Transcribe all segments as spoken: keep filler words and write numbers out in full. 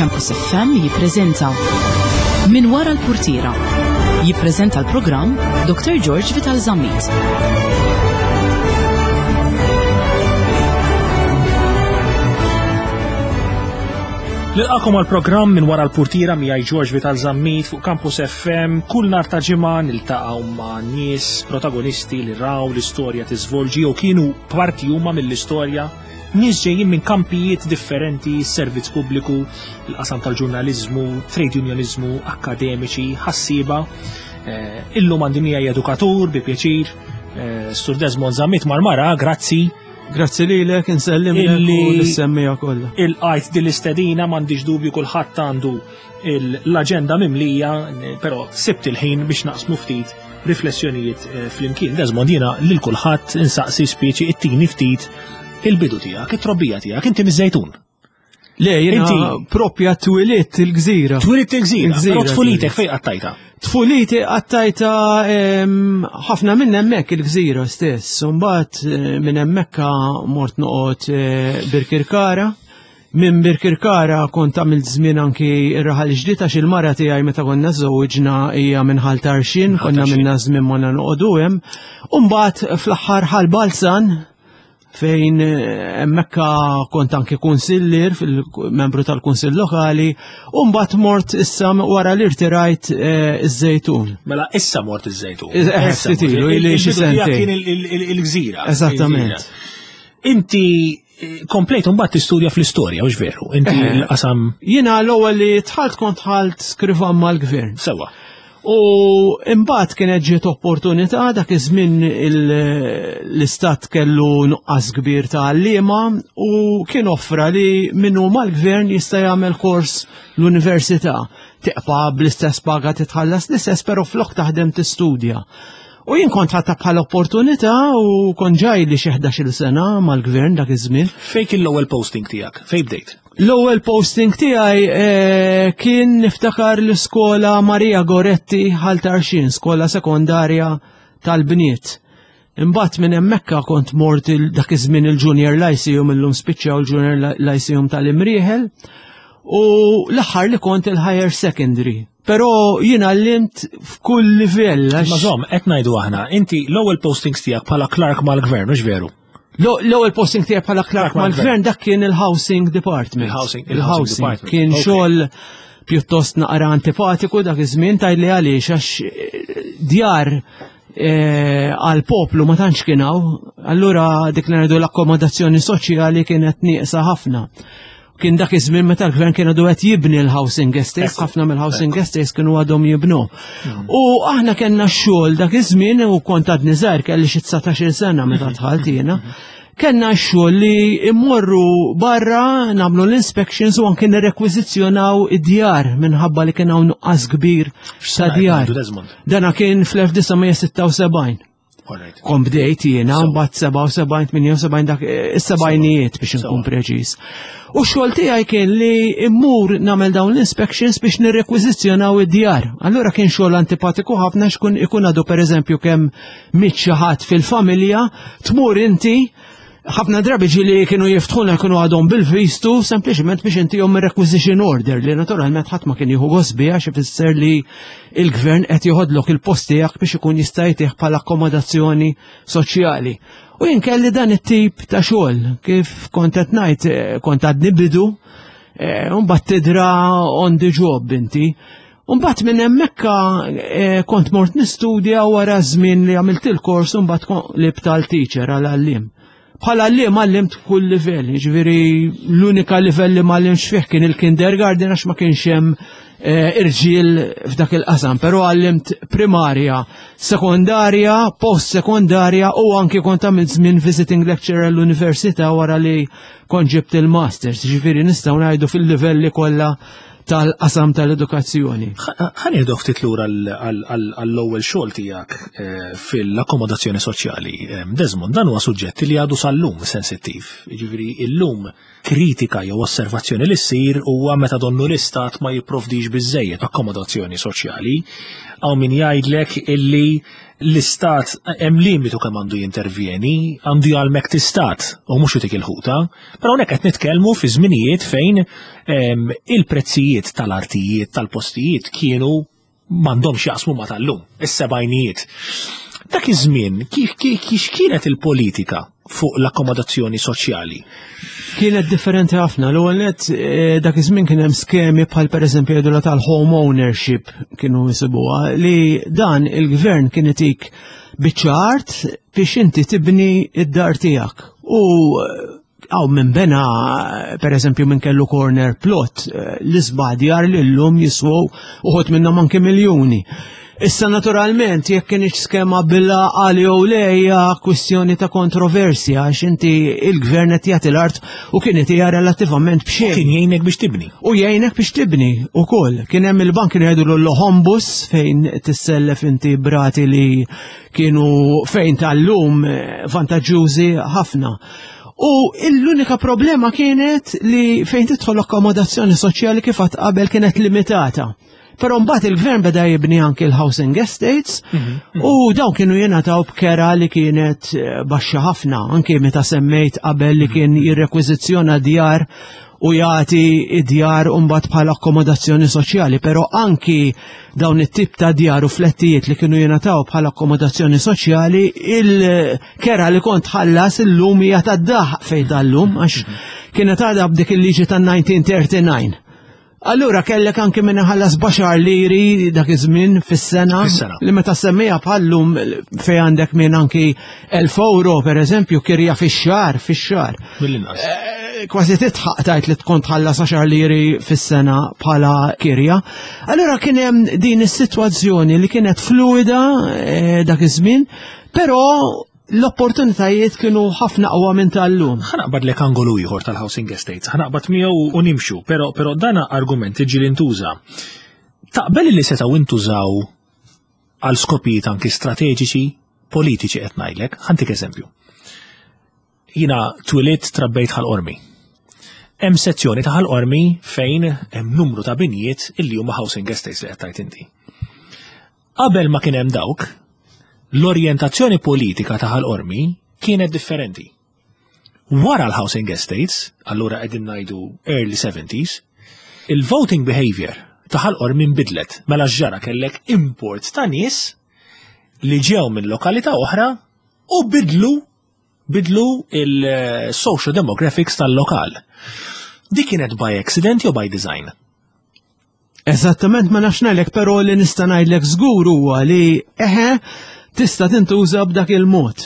Campus F M jippreżenta Min Wara l-Purtiera. Jippreżenta l-programm Doctor George Vital Zammit. Nilqagħkom għal programm Minn Wara l-Purtiera miegħi George Vital Zammit fuq Campus F M. Kull nhar ta' ġimgħa niltaqgħu ma' nies protagonisti li raw l-istorja tiżvolġi jew kienu parti huma mill-istorja, nies ġejjin minn kampijiet differenti, servizz pubbliku, il-qasam tal-ġurnaliżmu, trade unionizmu, akademiċi, ħassieba. Eh, illum għandi miegħi edukatur bi pjaċir, eh, Sur Desmond Zammit Marmara, grazzi. Grazzi lilek, insellim Illi- l-semmija kollha. Il-qajt din l-istedina, m'għandix dubju kulħadd għandu l-aġenda mimlija, però sibt il-ħin biex naqsmu ftit riflessjonijiet eh, flimkien. Desmond, jiena lil kulħadd insaqsi speċi it-tini ftit il-bidu tiegħek, it-trobbija tiegħek, inti miż-Żejtun. Le, jiena Inti- propja twilidt il-Gżira. Twilidt il-Gżira, Il-Gżira, però tfulitek twilidt. fejn qattajta? Tfuliti qattajta em, ħafna minn hemmhekk il-Gżira stess. Mbagħad eh, minn hemmhekk mort noqgħod eh, Birkirkara. Minn Birkirkara kont għamilt żmien anki ir-Raħal Ġdid għax il-mara tiegħi meta konna żewġna hija minn Ħal Tarxien, konna Tarxien. minna żmien ma noqogħdu hemm. U mbagħad fl-aħħar Ħal Balzan fejn eh, hemmhekk kont anki kunsillier, fil-membru tal-kunsill lokali, u mbagħad mort issa wara li rtirajt eh, iż-Żejtun. Mela issa mort iż-Żejtun. Eh, Issa ftit mort. ilu, ili xi Il-bidu tiegħek sentejn. kien il- il- il- il-Gżira. Eżattament. Il-Gżira. Inti eh, komplejt mbagħad tistudja fl-istorja, hux veru? Inti Eh. l-qasam Jiena l-ewwel li dħalt kont dħalt skrivan mal-gvern. Sewa. U imbagħad kienet ġiet opportunità, dak iż-żmien il- l-istat kellu nuqqas kbir ta' għalliema u kien offra li minnu mal-gvern jista' jagħmel kors l-università. Tibqa' bl-istess paga, titħallas l-istess, però flok taħdem tistudja. U jien kont ħadtha bħala opportunità u kont ġa ili xi ħdax-il sena mal-gvern dak iż-żmien. Fejn kien l-ewwel posting tiegħek? Fejn bdejt? L-ewwel posting tiegħi eh, kien niftakar l-iskola Maria Goretti Ħal Tarxien, skola sekondarja tal-bniet. Imbagħad minn hemmhekk kont mort il- dak iż-żmien il-Junior Lyceum, illum spiċċaw il-Junior Lyceum tal-Imrieħel, u l-aħħar li kont il-Higher Secondary. Però jiena għallimt f'kull livell. għax- Ma żomm, qed ngħidu aħna, inti l-ewwel postings tiegħek bħala clerk mal-gvern, hux veru? L- L-ewwel posting tiegħi bħala clerk Clerk mal-gvern. mal-gvern dak kien il-Housing Department. Il-housing- il-housing department. Kien Ok. xogħol pjuttost naqra antipatiku dak iż-żmien, tgħidli għaliex, għax eh, djar eh, għal poplu ma tantx kien hawn, allura dik li ngħidu l-akkomodazzjoni soċjali kienet nieqsa ħafna. Kien dak iż-żmien meta l-gvern kien għadu qed jibni l-housing estates, Ekku, ħafna mill-housing estates kienu għadhom jibnu. U aħna kellna x-xogħol dak iż-żmien u kont għadni żgħir, kelli xi dsatax-il sena meta dħalt jiena. Kellna x-xogħol li immorru barra nagħmlu l-inspections u anke nirrekwiżizzjonaw id-djar minħabba li kien hawn nuqqas kbir ta' djar. Ngħidu, Desmond? Dana kien fl-elf disa' mija sitta u sebgħin. All right. Kont bdejt jiena, Sewa. mbagħad sebgħa u sebgħin, tmienja u sebgħin, dak eh, is-sebgħinijiet biex Sewa. nkun preċiż. U x-xogħol tiegħi kien li immur nagħmel dawn l-inspections biex nirrekwiżizzjonaw id-djar. Allura kien xogħol antipatiku ħafna xkun ikun għadu pereżempju kemm miet xi ħadd fil-familja, tmur inti. Ħafna drabi ġieli kienu jiftħuna kienu għadhom bil-vistu sempliċement biex intihom requisition order li naturalment ħadd ma kien jieħu gost biha għax ifisser li il-gvern qed joħodlok il-post tiegħek biex ikun jista' jtih bħala akkomodazzjoni soċjali. U jien kelli dan it-tip ta' xogħol, kif kont qed ngħid, eh, kont għadni bidu, eh, u mbagħad tidra on the job inti. Mbagħad minn hemmhekk eh, kont mort nistudja wara żmien li għamilt il-kors u mbagħad qlibt għal teacher, għal għalliem. Bħala għalliem għallimt f'kull livell, jiġifieri l-unika livell li m'għallimx fih kien il-kindergarten għax ma kienx hemm eh, irġiel f'dak il-qasam, però għallimt primarja, sekondarja, post-sekondarja u anki kont għamilt żmien visiting lecturer l-università wara li kont ġibt il-masters, jiġifieri nistgħu ngħidu fil-livelli kollha tal-qasam tal-edukazzjoni. Ħa nieħdu ftit lura għall-ewwel xogħol tiegħek eh, fil-akkomodazzjoni soċjali. Eh, Desmond, dan huwa suġġett li għadu sal-lum sensittiv. Jiġifieri illum kritika jew osservazzjoni li ssir huwa meta donnu l-istat ma jipprovdix biżejjed akkomodazzjoni soċjali. Hawn min jgħidlek illi L-istat hemm limitu kemm għandu jintervjeni, għandu jgħallmek tistat u mhux itik il-ħuta, però hawnhekk qed nitkellmu fi żminijiet fejn em, il-prezzijiet tal-artijiet, tal-postijiet kienu m'għandhomx jaqsmu ma tal-lum, is-sebgħinijiet. Dak iż-żmien kif kif kienet il-politika fuq l-akkomodazzjoni soċjali? Kienet differenti ħafna. L-ewwel nett eh, dak iż-żmien kien hemm skemi bħal pereżempju jgħidulha tal-home ownership kienu jisibuha, li dan il-gvern kien itik biċċa art biex inti tibni id-dar tiegħek. U għaw minn bena, per eżempju, minn kellu corner plot, eh, l-isbaħ djar li l-lum jiswew uħud minnhom anke miljoni. Issa naturalment, jekk kienx skema bil-għaqal jew le, hija kwistjoni ta' kontroversja, għax inti il-gvern qed jagħti l-art u kienet hija relattivament b'xejn. Kien jgħinek biex tibni. U jgħinek biex tibni ukoll. Kien hemm il-bank, kienu jgħidu l-Hombus, fejn tissellef inti b'rati li kienu fejn tal-lum eh, vantaġġużi ħafna. U l-unika problema kienet li fejn tidħol akkomodazzjoni soċjali, kif għedt qabel, kienet limitata. Però mbagħad il-gvern beda jibni anki l-housing estates u dawn kienu jingħataw b'kera li kienet eh, baxxa ħafna, anki meta semmejt qabel li kien jirrekwiżizzjona djar u jagħti id-djar mbagħad bħala akkomodazzjoni soċjali, però anki dawn it-tip ta' djar u flettijiet li kienu jingħataw bħala akkomodazzjoni soċjali, il-kera li kont tħallas illum hija tad-daħ fejn tal-lum, għax kienet għadha b'dik il-liġi tan-elf disa' mija u tlieta u disgħin. Allura kellek anke minn ħallas b'għaxar liri dak iż-żmien fis-sena Fis-sena. li meta semmija bħallum fej għandek minn anki elf euro, per eżempju, kirja fix-xahar fix-xahar. Mill-inqas. Eh, Kważi titħaq tajt li tkun tħallas għaxar liri fis-sena bħala kirja. Allura kien hemm din is-sitwazzjoni li kienet fluida eh, dak iż-żmien, però l-opportunitajiet kienu ħafna aqwa minn tal-lum. Ħa naqbadlek angolu ieħor tal-housing estates, ħa naqbad miegħu u nimxu, però però dana argument iġi li ntuża. Taqbel li setgħu intużaw għal skopijiet anki strateġiċi, politiċi qed ngħidlek, ħa ntik eżempju. Jiena twilidt, trabbejt Ħal Qormi. Hemm sezzjoni ta' Ħal Qormi fejn hemm numru ta' binjiet illi huma housing estates li qed tgħid inti. Qabel ma kien hemm dawk, l-orjentazzjoni politika ta' Ħal Qormi kienet differenti. Wara l-housing estates, allura qegħdin ngħidu early seventies, il-voting behavior ta' Ħal Qormi nbidlet. Mela ġara kellek import ta' nies li ġew minn lokalità oħra u bidlu bidlu il-social demographics tal-lokal. Dik kienet by accident jew by design? Eżattament ma nafx ngħidlek, però li nista' ngħidlek żgur huwa li eħe, tista' tintuża b'dak il-mod.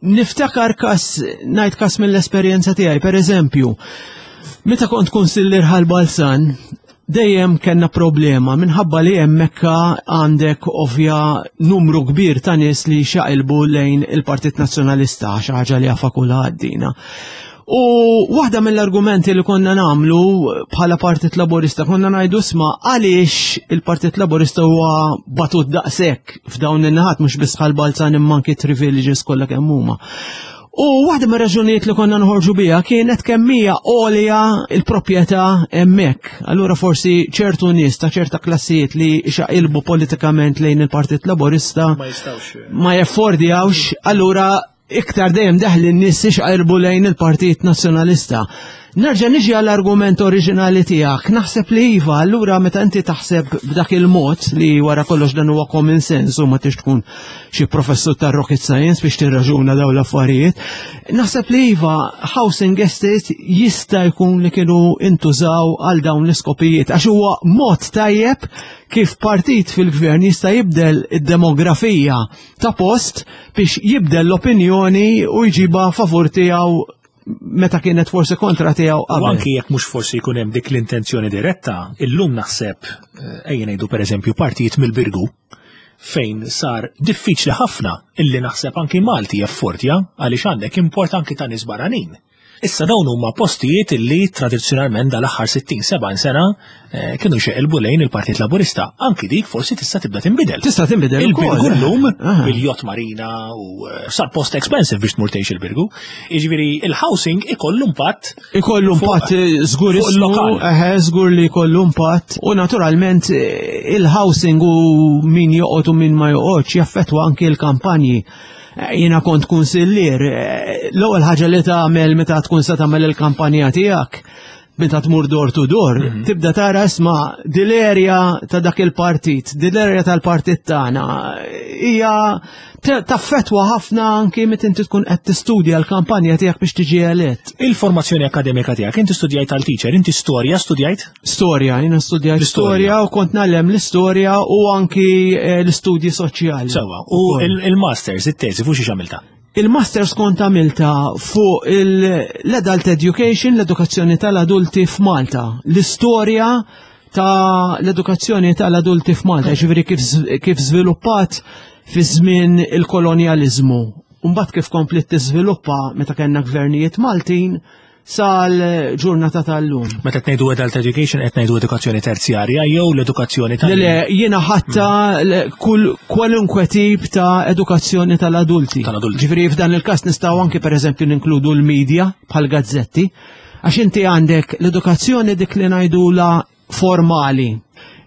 Niftakar kas, ngħid kas mill-esperjenza tiegħi, per eżempju, meta kont kunsillier Ħal Balzan, dejjem kellna problema minħabba li hemmhekk għandek ovvja numru kbir ta' nies li xaqilbu lejn il-Partit Nazzjonalista, xi ħaġa li jafa kulħadd dina. U waħda mill-argumenti li konna nagħmlu bħala Partit Laburista, konna ngħidu, "Isma', għaliex il-Partit Laburista huwa batut daqshekk f'dawn in-naħat, mhux biss Ħal Balzan imma anki three villages kollha kemm huma?" U waħda mir raġunijiet li konna nħorġu biha kienet kemm hija għolja il-proprjetà hemmhekk. Allura forsi ċertu nies ta' ċerta klassijiet li xaqilbu politikament lejn il-Partit Laburista Ma jistawx. ma jaffordjawx, allura iktar dejjem deħli n-nies xaqilbu lejn il-Partit Nazzjonalista. Nerġa' niġi għall-argument oriġinali tiegħek. Naħseb li iva, allura meta inti taħseb b'dak il-mod, li wara kollox dan huwa common sense u ma tix tkun xi professur ta' rocket science biex tirraġuna dawn l-affarijiet. Naħseb li iva, housing estate jista' jkun li kienu intużaw għal dawn l-iskopijiet, għax huwa mod tajjeb kif partit fil-gvern jista' jibdel id-demografija ta' post biex jibdel l-opinjoni u jġiba favur tiegħu meta kienet forsi kontra tiegħu U qabel. anki jekk mhux forsi jkun hemm dik l-intenzjoni diretta, illum naħseb, eh, ejja ngħidu pereżempju partijiet mill-Birgu, fejn sar diffiċli ħafna illi naħseb anki Malti jaffordja, għaliex għandek import anki ta' nies barranin. Issa dawn huma postijiet li tradizzjonalment dal-aħħar sittin sebgħin sena eh, kienu xeqilbu lejn il-Partit Laburista. Anki dik forsi tista' tibda tinbidel. Tista' tinbidel Il-Birgu ukoll. llum Aha. bil-yacht marina u eh, sar post expensive biex tmur tgħix il-Birgu. Jiġifieri il-housing ikollu impatt Ikollu fuq- impatt eh, żgur fuq il-lokal. eħe, żgur li jkollu impatt. U naturalment eh, il-housing u min joqgħod u min ma joqgħodx jaffettwa anki l-kampanji. Eh, Jiena kont kunsillier, eh, l-ewwel ħaġa li tagħmel meta tkun se tagħmel il-kampanja tiegħek meta tmur door to door, tibda tara isma' dil-area ta' dak il-partit, dil-area tal-partit tagħna hija ta- taffetwa ħafna anki meta inti tkun qed tistudja l-kampanja tiegħek biex tiġi elett. Il-formazzjoni akademika tiegħek, inti studjajt għal teacher, inti storja studjajt? Storja, jiena studjajt L-istorja. storja u kont ngħallem l-istorja u anki eh, l-istudji soċjali. Sewwa, u Ukoll. il- il-masters, it-teżi, fuq xi x'għamilta? Il-masters kont għamilta fuq il- l-adult education, l-edukazzjoni tal-adulti f'Malta. L-istorja ta' l-edukazzjoni tal-adulti f'Malta, ġifieri kif, kif żviluppat fi żmien il-kolonjalizmu. Mbagħad kif komplet tiżviluppa meta kellna gvernijiet Maltin sal-ġurnata tal-lum. Meta qed ngħidu adult education qed ngħidu edukazzjoni terzjarja jew l-edukazzjoni tal Le, le, jiena ħatta le, kull kwalunkwe tip ta' edukazzjoni tal-adulti. Tal-adulti. Ġifieri f'dan il-każ nistgħu anki pereżempju ninkludu l-media bħal gazzetti, għax inti għandek l-edukazzjoni dik li ngħidula formali.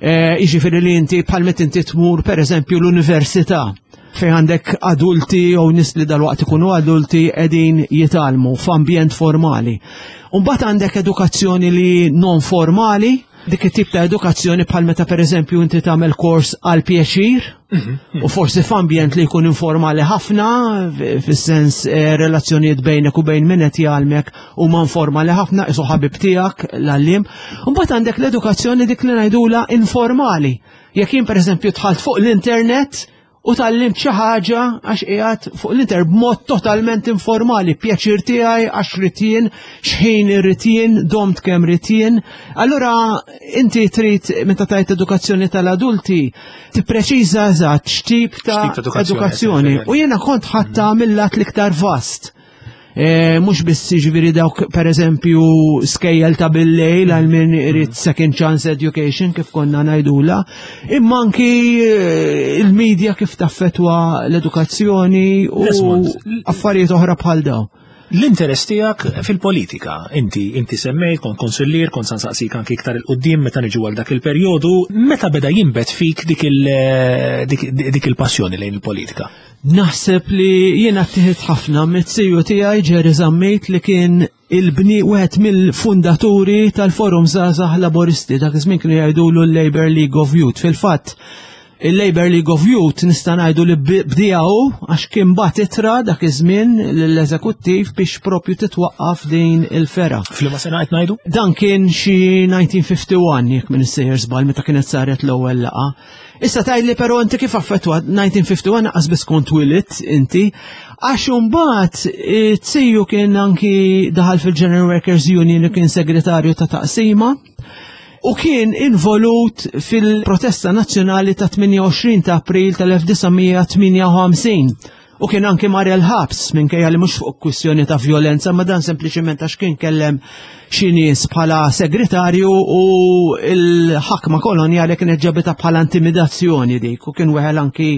E, Jiġifieri li inti bħal meta inti tmur pereżempju l-università fejn għandek adulti jew nies li dalwaqt ikunu adulti qegħdin jitgħallmu f'ambjent formali. Mbagħad għandek edukazzjoni li non formali, dik it-tip ta' edukazzjoni bħal meta pereżempju inti tagħmel kors għal pjaċir u forsi f'ambjent li jkun informali ħafna, f- fis-sens eh, relazzjonijiet bejnek u bejn min qed jgħallmek huma informali ħafna, isu ħabib tiegħek l-għalliem. Mbagħad għandek l-edukazzjoni dik li ngħidula informali. Jekk jien pereżempju dħalt fuq l-internet u tgħallimt xi ħaġa għax qiegħed fuq l-internet b'mod totalment informali, pjaċir tiegħi għax ridt jien, x'ħin irrid jien, domt kemm ridt jien. Allura inti trid meta tgħid edukazzjoni tal-adulti tippreċiża eżatt x'tip ta' X'tip ta' edukazzjoni edukazzjoni. qed U jiena kont ħadtha mill-lat l-iktar vast. E, mhux biss ġifieri dawk per eżempju skejjel ta' bil-lejl għal min irid second chance education kif konna ngħidula, imma anki eh, il-media kif taffetwa l-edukazzjoni u Desmond, affarijiet oħra bħal daw. L-interess tiegħek fil-politika, inti inti semmejt, kont konsillier, kont se nsaqsik anki iktar 'il quddiem meta niġu għal dak il-perjodu, meta beda jinbet fik dik il- dik, dik il-passjoni lejn il-politika? Naħseb li jiena ttieħidt ħafna mit-siju tiegħi Jerry Zammit li kien il-bni wieħed mill-fundaturi tal-Forum Żgħażagħ Laboristi, dak iż-żmien kienu jgħidulu l-Labour League of Youth. Fil-fatt, il-Labour League of Youth nista' ngħidu li bdieha hu għax kien bagħat ittra dak iż-żmien lill-eżekuttiv biex propju titwaqqaf din il-fergħa. F'liema sena qed ngħidu? Dan kien xi elf disa' mija u wieħed u ħamsin jekk m'iniex sejjer żball meta kienet saret l-ewwel laqgħa. Issa tgħidli però inti kif affettwa elf disa' mija u wieħed u ħamsin lanqas biss kont twilidt inti, għax imbagħad iz-ziju kien anki daħal fil-General Workers Union li kien segretarju ta' taqsima u kien involut fil-protesta nazzjonali ta' tmienja u għoxrin ta' April tal-elf disa' mija tmienja u ħamsin. U kien anki mar il-ħabs minkejja li mhux fuq kwistjoni ta' violenza, ma dan sempliċement għax kien kellem xi nies bħala segretarju u l-ħakma kolonjali kienet ġabita bħala intimidazzjoni dik u kien weħel anki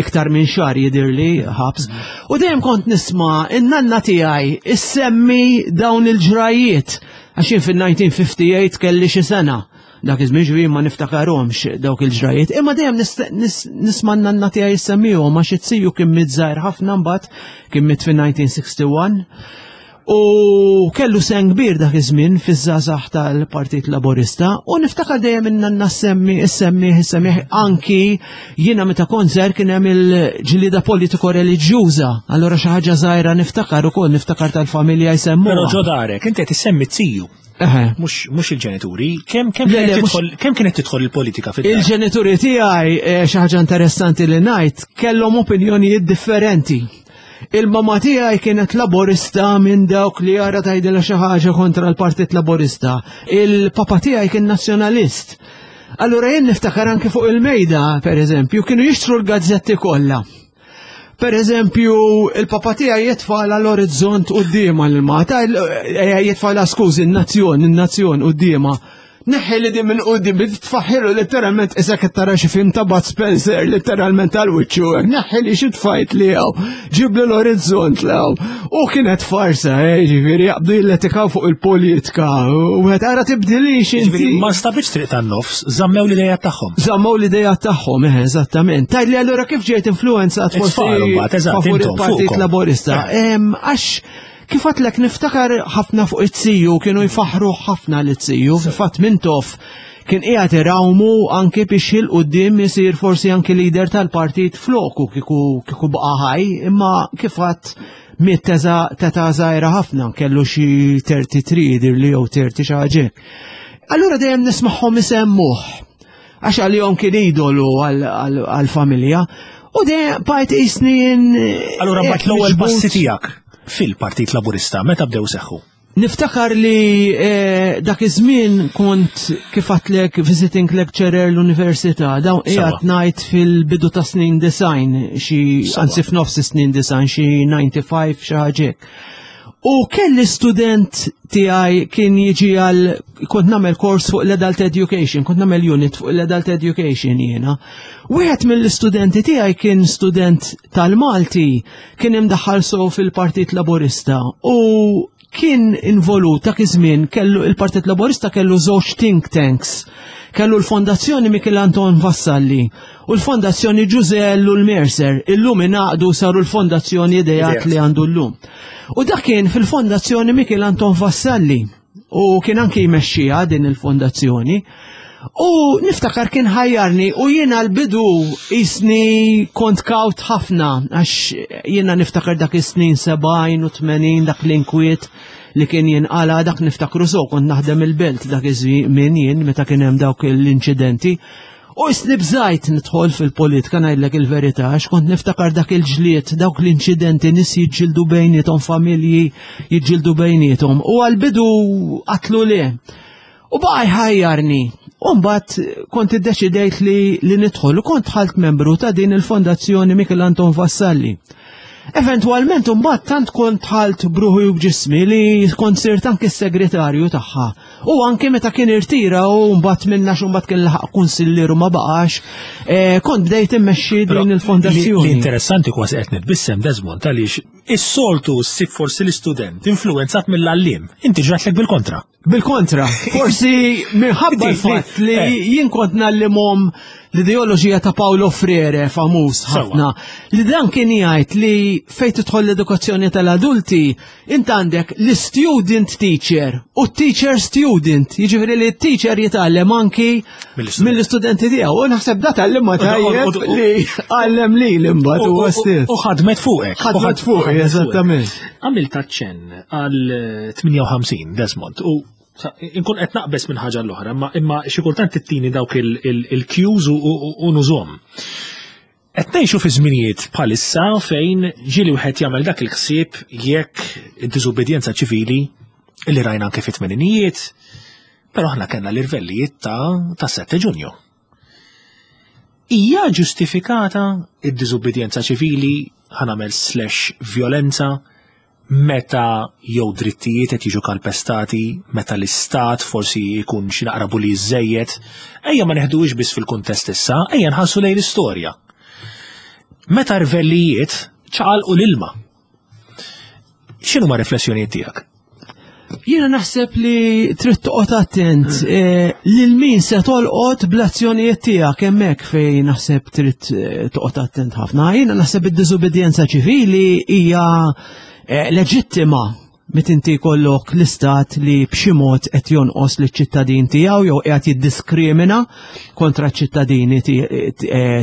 iktar minn xahar jidirli ħabs. U dejjem kont nisma' in-nanna tiegħi issemmi dawn il-ġrajiet għax jien fil-elf disa' mija u ħamsa u ħamsin kelli xi sena. Dak iż-żmien ġifieri ma niftakarhomx dawk il-ġrajiet. Imma dejjem nisma' n-nanna tiegħi issemmihom għax iz-ziju kien miet żgħir ħafna mbagħad kien miet fin-elf disa' mija u wieħed u sittin. U kellu sehem kbir dak iż-żmien fiż-żgħażagħ tal-Partit Laburista u niftakar dejjem in-nanna semmi issemmi issemmi anki jiena meta kont żgħir kien hemm il-ġlieda politiko reliġjuża. Allura xi ħaġa żgħira niftakar ukoll niftakar tal-familja jsemmuha. Però ġo darek, inti qed issemmi z-ziju. Eħe. Mhux mhux il-ġenituri, kemm kemm Le, le, kienet mhux- tidħol kemm kienet tidħol il-politika fid Il-ġenituri tiegħi eh, xi ħaġa interessanti li ngħid kellhom opinjonijiet differenti. Il-mama tiegħi kienet laborista minn dawk li jara tgħidilha xi ħaġa kontra l-Partit Laborista. Il-papa tiegħi kien nazzjonalist. Allura jien niftakar anke fuq il-mejda, per eżempju, kienu jixtru l-gazzetti kollha. Per eżempju, il-papa tiegħi jitfagħla l-Orizzont quddiemha l-mata, jitfagħla, skużi, in-Nazzjon, in-Nazzjon quddiemha. Neħħi li din minn qudiem, tfaħħilu letteralment isek qed tara xi film ta' Bud Spencer, letteralment għal wiċċu. Neħħi li xi tfajt li hawn, ġibli l-Orizzont l U kienet farsa, eh, ġifieri jaqbdu jilletikaw fuq il-politika. U għed ara tibdilix inti. Ma stabitx triq tan-nofs, żammew l-idea tagħhom. Żammew l-idea tagħhom, eh, eżattament. Tgħid li allura kif ġejt influenzat forsi favur il-Partit Laburista? Eh. Għax kif għedtlek, niftakar ħafna fuq it-siju, kienu jfaħru ħafna l-siju, fil-fatt Mintoff kien qiegħed irawmu anke biex 'il quddiem isir forsi anke leader tal-partit floku kieku kieku baqa' ħaj, imma kif għedt miet t'età żgħira ħafna, kellu xi tlieta u tletin jidir li jew tletin xi ħaġa. Allura dejjem nismagħhom isemmuh għax għalihom kien idolu għal-familja. U dejjem bqajt jisni. Allura mbagħad l-ewwel passi tiegħek fil-Partit Laburista meta bdew seħħu? Niftakar li eh, dak iż-żmien kont, kif għedtlek, visiting lecturer l-università, dawn qiegħed ngħid fil-bidu ta' snin disgħin, xi anzi f'nofs snin disgħin, xi disgħa u disgħin xi ħaġa. U kelli student tiegħi kien jiġi għal, kont nagħmel kors fuq l-adult education, kont nagħmel unit fuq l-adult education jiena. Wieħed mill-istudenti tiegħi kien student tal-Malti, kien imdaħħal so fil-Partit Laburista u kien involut dak iż-żmien. Kellu il-Partit Laburista kellu żewġ think tanks. Kellu l-Fondazzjoni Michel Anton Vassalli u l-Fondazzjoni Ġużè Ellul Mercer. Illum ingħaqdu, saru l-Fondazzjoni Ideat li għandu llum. U dak kien fil-Fondazzjoni Michel Anton Vassalli u kien anki jmexxiha din il-fondazzjoni. U niftakar kien ħajjarni u jiena l-bidu jisni kont kawt ħafna, għax jiena niftakar dak is-snin sebgħin u tmenin, dak l-inkwiet li kien jinqala, dak niftakru so, kont naħdem il-Belt dak iż-żmien jien meta kien hemm dawk l-inċidenti. U jisni bżajt nidħol fil-politika, ngħidlek il-verità, għax kont niftakar dak il-ġlied, dawk l-inċidenti, nies jiġġieldu bejniethom, familji jiġġieldu bejniethom. U għal-bidu għedtlu le. U baqa' jħajjarni. U mbagħad kont iddeċidejt li, li nidħol u kont dħalt membru ta' din il-Fondazzjoni Michel Anton Vassalli. Eventualment mbagħad tant kont dħalt b'ruħi u b'ġismi li kont sirt anke s-segretarju tagħha. U anke meta kien irtira u mbagħad minna xu mbagħad kien laħaq kunsillieru ma baqax, eh, kont bdejt immexxi din il-fondazzjoni. L-interessanti, kważi qed nitbissem, Desmond, għaliex is-soltu ssib forsi l-istudent influenzat mill-għalliem. Inti ġratlek bil-kontra. Bil-kontra, forsi minħabba l-fatt li eh. jien kont ngħallimhom l-ideoloġija ta' Paulo Freire, famuż ħafna, li dan kien jgħid li fejn tidħol l-edukazzjoni tal-adulti, int għandek l-student teacher u teacher student, jiġifieri li t-teacher jitgħallem anki mill-istudenti tiegħu. U naħseb da tgħallimha tajjeb li għallem li l-imbagħad huwa stess. U ħadmet fuqek. Ħadmet fuqek, eżattament. Għamilt aċċenn għal tmienja u ħamsin, Desmond, u inkun qed naqbes minn ħaġa l-oħra, imma imma xi kultant tittini dawk il-cues u nużhom. Qed ngħixu fi żminijiet bħalissa fejn ġieli wieħed jagħmel dak il-ħsieb jekk id-diżubbidjenza ċivili li rajna anke fit-tmeninijiet, però aħna kellna l-irvellijiet ta' ta' sette Ġunju. Hija ġustifikata id-diżubbidjenza ċivili, ħa nagħmel slash violenza, meta jew drittijiet qed jiġu kalpestati, meta l-istat forsi jkun xi naqra bully żejjed, ejja ma neħduhiex biss fil-kuntest issa, ejja nħarsu lejn l-istorja. Meta rvellijiet ċaqalqu l-ilma. X'inhu ma riflessjonijiet tiegħek? Jiena naħseb li trid toqgħod attent eh, lil min se tolqot bl-azzjonijiet tiegħek, hemmhekk fejn naħseb trid eh, toqgħod attent ħafna. Jiena naħseb id-diżubbidjenza ċivili hija eh, leġittima meta inti jkollok l-istat li b'xi mod qed jonqos liċ-ċittadin tiegħu jew qiegħed jiddiskrimina kontra ċ-ċittadini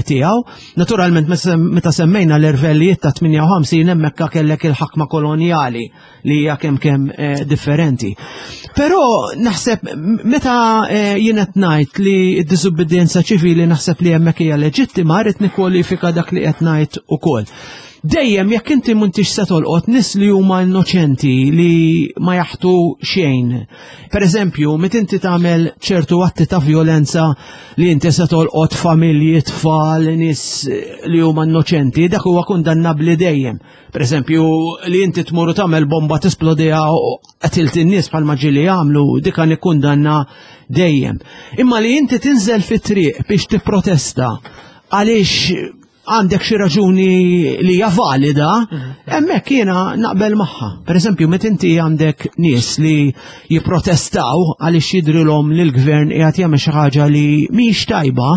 tiegħu. Naturalment meta semmejna l-irvellijiet ta' tmienja u ħamsin, hemmhekk kellek il-ħakma kolonjali li hija kemm kemm eh, differenti. Però naħseb meta eh, jien qed ngħid li d-diżubbidjenza ċivili naħseb li hemmhekk hija leġittima, rrid nikkwalifika dak li qed ngħid ukoll. Dejjem jekk inti m'intix se tolqot nies li huma innoċenti li ma jaħtu xejn. Per eżempju, meta inti tagħmel ċertu atti ta' violenza li inti se tolqot familji, tfal, nies li huma innoċenti, dak huwa kundannabbli dejjem. Per eżempju, li inti tmur u tagħmel bomba, tisplodiha u qtilt in-nies bħalma ġieli jagħmlu, dik nikkundanna dejjem. Imma li inti tinżel fit-triq biex tipprotesta għaliex għandek xi raġuni li hija valida, hemmhekk jiena naqbel magħha. Per eżempju, meta inti għandek nies li jipprotestaw għaliex jidrilhom li l-gvern qiegħed jagħmel xi ħaġa li mhix tajba,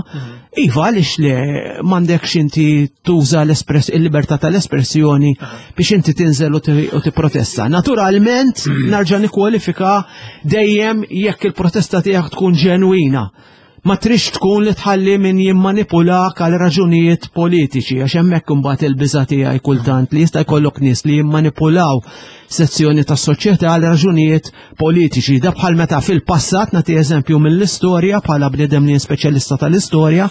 iva, għaliex le m'għandekx inti tuża l-espress il-libertà tal-espressjoni biex inti tinżel u ti- u tipprotesta. Naturalment, narġa' nikkwalifika, dejjem jekk il-protesta tiegħek tkun ġenwina. Ma trix tkun li tħalli min jimmanipulak għal raġunijiet politiċi, għax hemmhekk imbagħad il-biża tiegħi kultant li jista' jkollok nies li jimmanipulaw sezzjoni tas soċjetà għal raġunijiet politiċi. Da bħal meta fil-passat, nagħti eżempju mill-istorja bħala bniedem li speċjalista tal-istorja,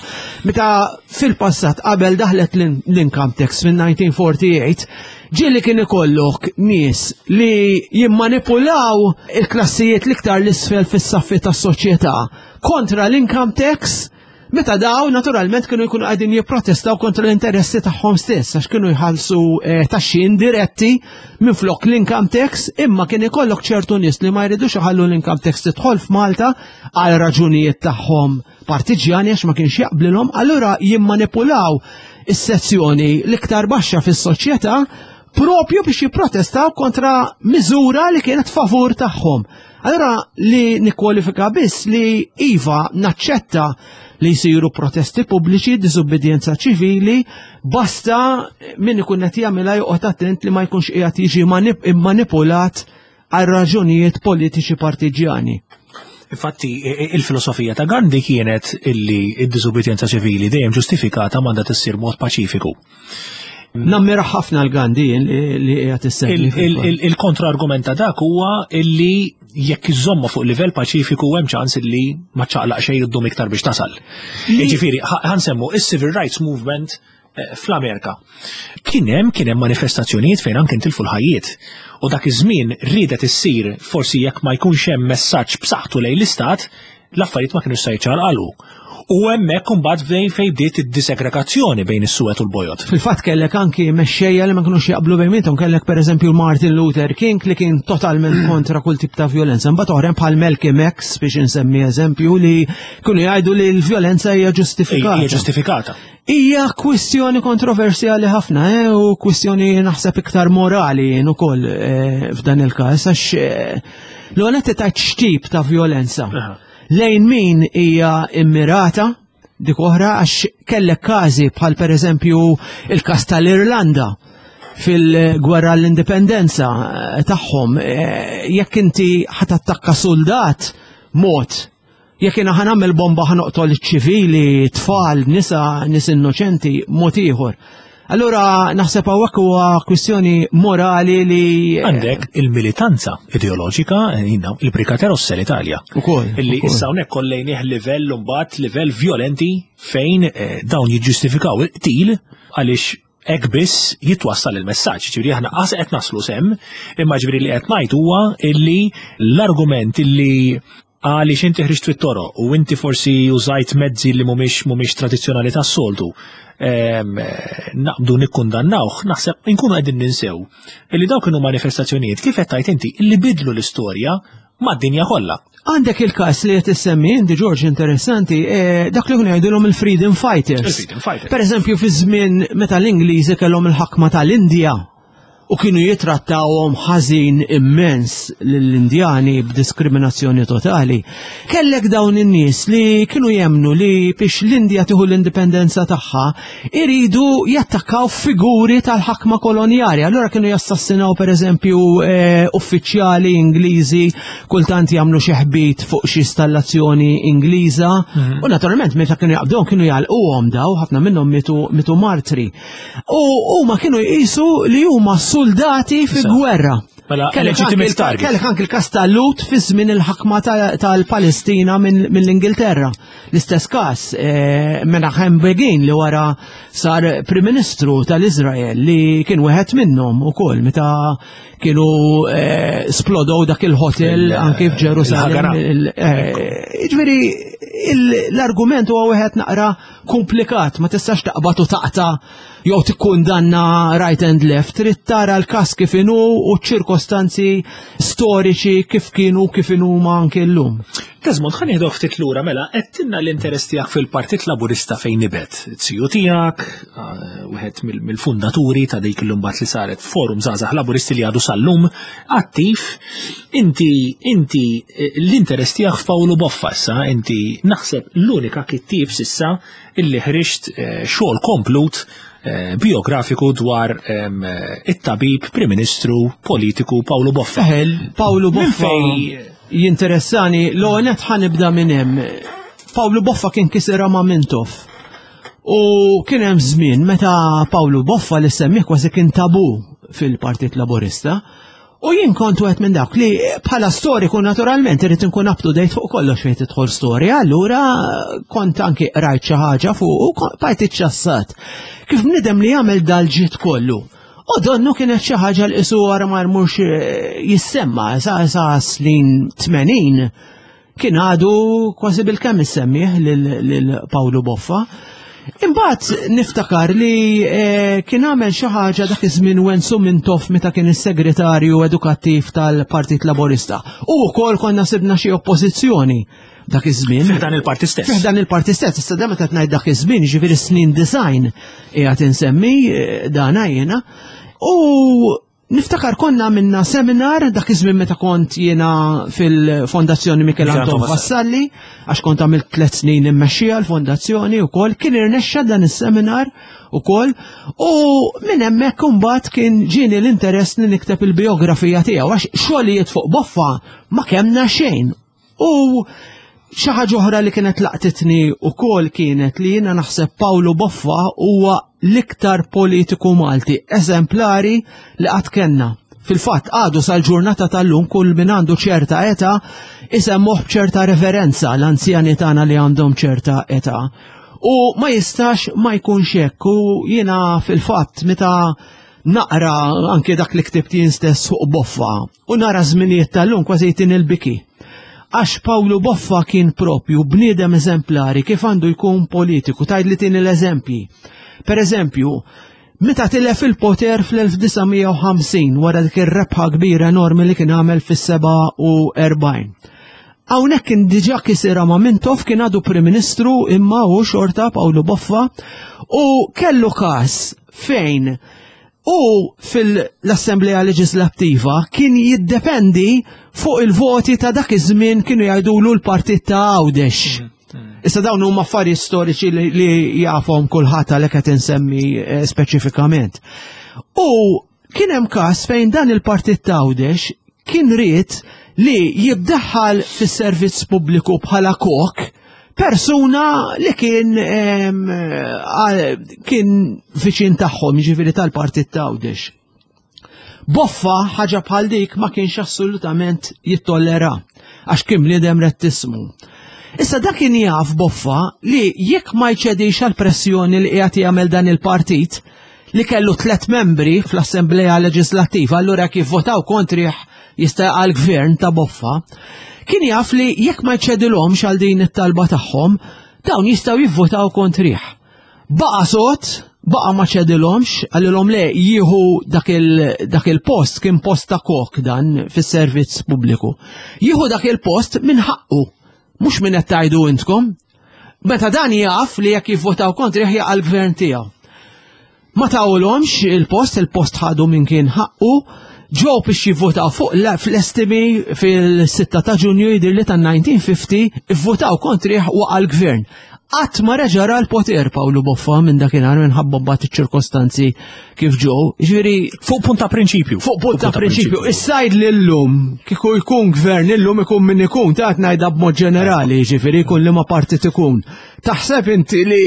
meta fil-passat qabel daħlet l-income tax fil-elf disa' mija u erbgħa u erbgħin, ġieli kien ikollok nies li jimmanipulaw il-klassijiet l-iktar l-isfel fis-saffi tas-soċjetà kontra l-income tax, meta daw naturalment kienu jkunu qegħdin jipprotestaw kontra l-interessi tagħhom stess, għax kienu jħallsu eh, taxxi indiretti minn flok l-income tax, imma kien ikollok ċertu nies li ma jridux iħallu l-income tax tidħol f'Malta għal raġunijiet tagħhom partiġjani, għax ma kienx jaqblilhom, allura jimmanipulaw is-sezzjoni l-iktar baxxa fis-soċjetà propju biex jipprotestaw kontra miżura li kienet favur tagħhom. Allora li nikkwalifika biss li iva, naċċetta li jsiru protesti pubbliċi, diżubbidjenza ċivili, basta min ikun qed jagħmilha joqgħod attent li ma jkunx qiegħed jiġi manip manipulat għal raġunijiet politiċi partiġjani. Infatti, il-filosofija ta' Gandhi kienet illi id-diżubbidjenza ċivili dejjem ġustifikata m'għandha tissir mod paċifiku. Nammira ħafna l-Gandhi li qiegħed issemmi. Il-kontra-argument ta' dak huwa illi jekk iżomma fuq livell paċifiku, hemm ċans illi ma ċaqlaq xejn, iddum iktar biex tasal. Jiġifieri, ħa nsemmu is-Civil Rights Movement eh, fl-Amerika. Kien hemm kien hemm manifestazzjonijiet fejn anke intilfu l-ħajjiet. U dak iż-żmien riedet issir, forsi jekk ma jkunx hemm messaġġ b'saħħtu lejn l-istat, l-affarijiet ma kienux se jiċċaqalqu. U hemmhekk imbagħad fejn fejn bdiet id-disegregazzjoni bejn is-suwed u l-bojod. Fil-fatt kellek anki mexxejja li ma kinux jaqblu bejniethom, kellek pereżempju Martin Luther King li kien totalment kontra kull tip ta' violenza. Mbagħad oħrajn bħal Malcolm X, biex insemmi eżempju, li kienu jgħidu li l-violenza hija ġustifikata. Hija ġustifikata. Hija kwistjoni kontroversjali ħafna, eh, u kwistjoni naħseb iktar morali ukoll eh, f'dan il-każ, għax eh, l-għonet ta' x'tip ta' violenza. Lejn min hija immirata dik oħra, għax kellek każi bħal pereżempju il-każ tal-Irlanda fil-gwerra l-indipendenza tagħhom, jekk inti ħa tattakka soldat mod, jekk jiena ħa nagħmel bomba, ħa noqtol ċivili, tfal, nisa, nies innoċenti, mod ieħor. Allura naħseb hawnhekk huwa kwistjoni morali li Għandek il-militanza ideoloġika, jina, il-Brigate Rosse l-Italja. Ukoll. Illi issa hawnhekk kollejnih livell mbagħad livell violenti fejn eh, dawn jiġġustifikaw il-qtil għaliex hekk biss jitwassal il-messaġġ. Ġifieri aħna qas qed naslu s'hemm, imma ġifieri li qed ngħid huwa illi l-argument illi għaliex inti ħriġt fit-toroq u inti forsi użajt mezzi li mhumiex mhumiex tradizzjonali tas-soltu, naqbdu nikkundannawh, naħseb inkunu qegħdin ninsew illi dawk kienu manifestazzjonijiet, kif qed tgħid inti, illi bidlu l-istorja mad-dinja kollha. Għandek il-kas li qed issemmi inti, George, interessanti, eh, dak li kienu jgħidulhom il-Freedom Fighters. Il-Freedom Fighters. Per eżempju, fi żmien meta l-Ingliżi kellhom il-ħakma tal-Indja u kienu jitrattawhom ħażin immens lill-Indjani b'diskriminazzjoni totali. Kellek dawn in-nies li kienu jemnu li biex l-Indja tieħu l-indipendenza tagħha iridu jattakkaw figuri tal-ħakma kolonjali. Allura kienu jassassinaw pereżempju eh, uffiċjali Ingliżi, kultant jagħmlu xi ħbit fuq xi installazzjoni Ingliża. Mhm. U naturalment meta kienu jaqbduhom kienu jgħalquhom daw, ħafna minnhom mitu, mitu martri. U huma kienu jqisu li huma soldati fi gwerra. Mela, legitimate target. Kellek anki l-kas tal-Lhud fi żmien il-ħakma tal-Palestina mill-Ingilterra. L-istess każ eh, Menachem Begin li wara sar Prim Ministru tal-Izrael li kien wieħed minnhom ukoll meta kienu eh, splodow dak il-hotel anki f'Ġerusalem. Eh, jiġifieri l-argument huwa wieħed naqra komplikat, ma tistax taqbad u taqta' jew tikkundanna right and left, trid tara l-każ kif inhu u ċ-ċirkostanzi storiċi kif kienu, kif inhuma anke llum. Desmond, ħa nieħdu ftit lura, mela, għedtilna l-interess tiegħek fil-Partit Laburista fejn nibet. Ziju tiegħek, eh, wieħed mill-fundaturi ta' dik l-umbat li saret Forum Żgħażagħ Laburisti li għadu sal-lum attiv. Inti, inti eh, l-interess tiegħek f'Pawlu Boffa issa, inti naħseb l-unika kittieb s'issa illi ħriġt eh, xogħol komplut eh, biografiku dwar it-tabib, Prim Ministru, politiku Pawlu Boffa. Eħel, Pawlu Boffa jinteressani, l-għonet ħa nibda minn hemm. Pawlu Boffa kien kisira ma' Mintoff. U kien hemm żmien meta Pawlu Boffa li semmih kważi kien tabu fil-Partit Laburista. U jien kont wieħed minn dawk li bħala storiku naturalment irid inkun up to date fuq kollox fejn tidħol storja, allura kont anki qrajt xi ħaġa fuq u bqajt iċċassat. Kif bniedem li jagħmel dal-ġid kollu. U donnu kienet xi ħaġa l qisu wara ma jmurx eh, jissemma sa sa snin tmenin kien għadu kważi bil-kemm issemmih lil Pawlu Boffa. Imbagħad niftakar li eh, kien għamel xi ħaġa dak iż-żmien Wenzu Mintoff meta kien is-segretarju edukattiv tal-Partit Laburista. U wkoll konna sibna xi oppożizzjoni dak iż-żmien. Fi ħdan il-parti stess. Fi ħdan il-parti stess, issa meta ngħid dak iż-żmien, ġifieri snin design qiegħed insemmi eh, dana jiena. U niftakar konna minna seminar dak iż-żmien meta kont jiena fil-Fondazzjoni Michel Anton Vassalli, għax kont għamilt tliet snin immexxija l-fondazzjoni wkoll, kien irnexxa dan is-seminar ukoll, u minn hemmhekk imbagħad kien ġieni l-interess li nikteb il-biografija tiegħu għax xogħlijiet fuq Boffa ma kemna xejn. U xi ħaġa oħra li kienet laqtitni wkoll kienet li jiena naħseb Pawlu Boffa huwa l-iktar politiku Malti eżemplari li qatt kellna. Fil-fatt għadu sal-ġurnata tal-lum kull min għandu ċerta età isemmuh b'ċerta reverenza, l-anzjani tagħna li għandhom ċerta età. U ma jistax ma jkunx hekk, u jiena fil-fatt meta naqra anke dak li ktibt jien stess fuq Boffa u nara żminijiet tal-lum kważi jtin il-biki. Għax Pawlu Boffa kien propju bniedem eżemplari kif għandu jkun politiku, tajd li tini l-eżempji. Per eżempju, meta tilef il-poter fl-elf disa' mija u ħamsin wara dik ir-rebħa kbira enormi li kien għamel fis-seba' u erbgħin. Hawnhekk kien diġà kisira ma' Mintoff, kien għadu Prim Ministru imma hu xorta Pawlu Boffa, u kellu każ fejn u fil-Assemblea Leġislattiva kien jiddependi fuq il-voti ta' dak iż-żmien kienu jgħidulu l-partit ta' Għawdex. Issa dawn huma affarijiet storiċi li, li jafhom kulħadd għalhekk qed insemmi, eh, speċifikament. U kien hemm każ fejn dan il-partit ta' Għawdex kien ried li jibdaħħal fis-servizz pubbliku bħala kok persuna li kien, ehm, għal-, kien viċin tagħhom, jiġifieri tal-partit ta' Għawdex. Boffa ħaġa bħal dik ma kienx assolutament jittollera għax kien bniedem rettismu. Issa dak kien jaf Boffa li jekk ma jċedix għal pressjoni li qiegħed jagħmel dan il-partit li kellu tliet membri fl-Assemblea Leġislattiva, allura kif votaw kontrih jista' għal gvern ta' Boffa, kien jaf li jekk ma jċedilhomx għal din it-talba tagħhom, dawn jistgħu jivvotaw kontrih. Baqa' sod, baqa' ma ċedilhomx, qalilhom le jieħu dak il-, dak il-post, kien post ta' kok dan fis-servizz pubbliku. Jieħu dak il-post minn ħaqqu, mhux minn qed tgħidu intkom. Meta dan jaf li jekk jivvotaw kontrih jaqa' l-gvern tiegħu. Ma tawlhomx il-post, il-post ħadu minn kien ħaqqu, ġew biex jivvotaw fuq la-, fl-estimi fil-sitta ta' Ġunju jidher li ta' nineteen fifty, ivvotaw kontrih waqa' l-gvern. Qatt ma reġa' ra l-poter Pawlu Boffa minn dakinhar minħabba mbagħad iċ-ċirkostanzi kif ġew. Jiġifieri fuq punt ta' prinċipju. Fuq punt ta' prinċipju. Is-sajd li llum kieku jkun gvern illum ikun min ikun, ta' qed ngħidha b'mod ġenerali, jiġifieri jkun liema partit ikun. Taħseb inti li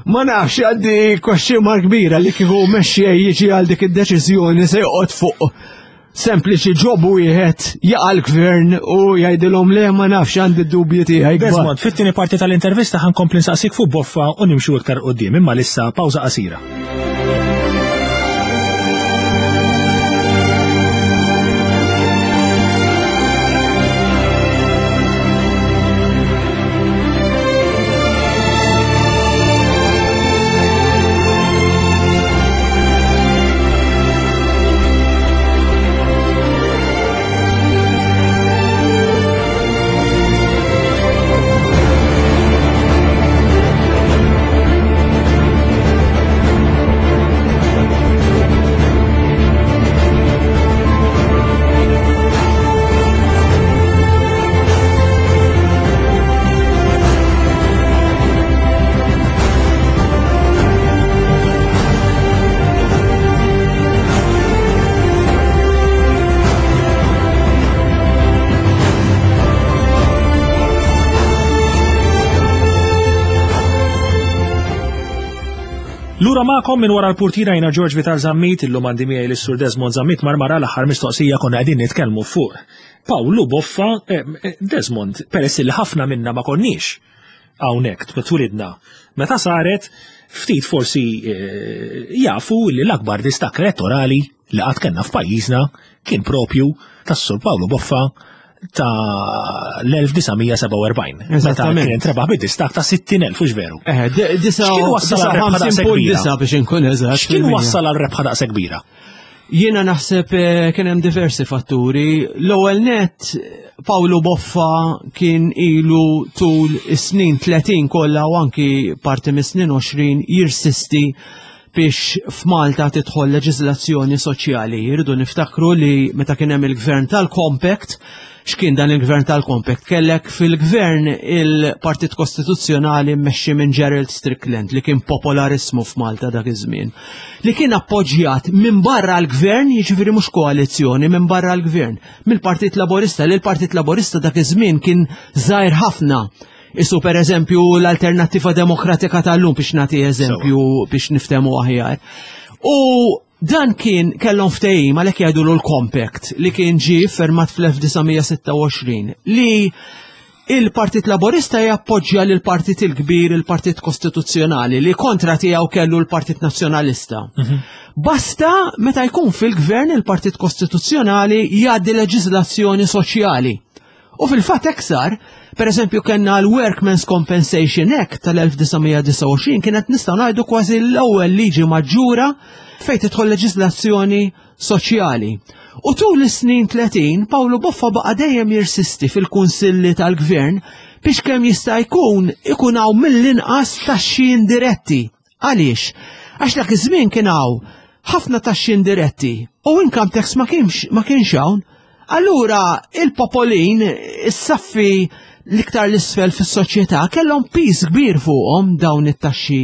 ma nafx għandi question mark kbira li kieku mexxej jiġi għal dik id-deċiżjoni se joqgħod fuq sempliċi job wieħed jaqa' l-gvern u jgħidilhom le ma nafx għandi d-dubji tiegħi. Desmond, fit-tieni parti tal-intervista ħa nkompli nsaqsik fuq Boffa u nimxu iktar quddiem, imma issa pawża qasira. Lura magħkom minn wara l-purtira jiena George Vital Zammit, illum għandi miegħi lis-Sur Desmond Zammit Marmara. L-aħħar mistoqsija konna qegħdin nitkellmu fuq Pawlu Boffa. eh, eh, Desmond, peress li ħafna minna ma konniex hawnhekk twilidna meta saret, ftit forsi eh, jafu li l-akbar distakk elettorali li qatt kellna f'pajjiżna kien propju tas-Sur Pawlu Boffa ta' l-elf disa' mija sebgħa u erbgħin. Meta Eżattament. kien intrebaħ bid-distakk ta' sittin elf, hux veru? Eh, X'kien wassal għal rebħa daqshekk kbira? disa biex inkun eżatt. X'kien fil-mija. wassal għal rebħa daqshekk kbira? Jiena naħseb eh, kien hemm diversi fatturi. L-ewwel net, Pawlu Boffa kien ilu tul is-snin tletin kollha u anki parti mis-snin għoxrin jirsisti biex f'Malta tidħol leġiżlazzjoni soċjali. Irridu niftakru li meta kien hemm il-gvern tal-Compact, x'kien dan il-gvern tal-Compact? Kellek fil-gvern il-Partit Kostituzzjonali mmexxi minn Gerald Strickland, li kien popolarismu f'Malta dak iż-żmien, li kien appoġġjat minn barra l-gvern, jiġifieri mhux koalizzjoni, minn barra l-gvern, mill-Partit Laborista, li l-Partit Laborista dak iż-żmien kien żgħir ħafna. Isu per eżempju l-Alternattiva Demokratika tal-lum, biex nagħti eżempju biex niftemu aħjar. U dan kien kellhom ftehim, għalhekk jgħidulu l-Compact, li kien ġie fermat fl-elf disa' mija sitta u għoxrin, li il-Partit Laborista jappoġġja lil partit il-kbir, il-Partit Kostituzzjonali, li kontra tiegħu kellu l-Partit Nazzjonalista. Basta meta jkun fil-gvern il-Partit Kostituzzjonali jgħaddi leġiżlazzjoni soċjali. U fil-fatt eksar, per eżempju, kellna l-Workmen's Compensation Act tal-elf disa' mija disgħa u għoxrin, kienet nistgħu ngħidu kważi l-ewwel liġi maġġura fejn tidħol leġiżlazzjoni soċjali. U tul is-snin tletin, Pawlu Boffa baqa' dejjem jirsisti fil-kunsilli tal-gvern biex kemm jista' jkun ikun hawn mill-inqas taxxi indiretti. Għaliex? Għax dak iż-żmien kien hawn ħafna taxxi indiretti u income tax ma kienx ma kienx hawn. Allura il-popolin, is-saffi l-iktar l-isfel fis-soċjetà, kellhom piż kbir fuqhom dawn it-taxxi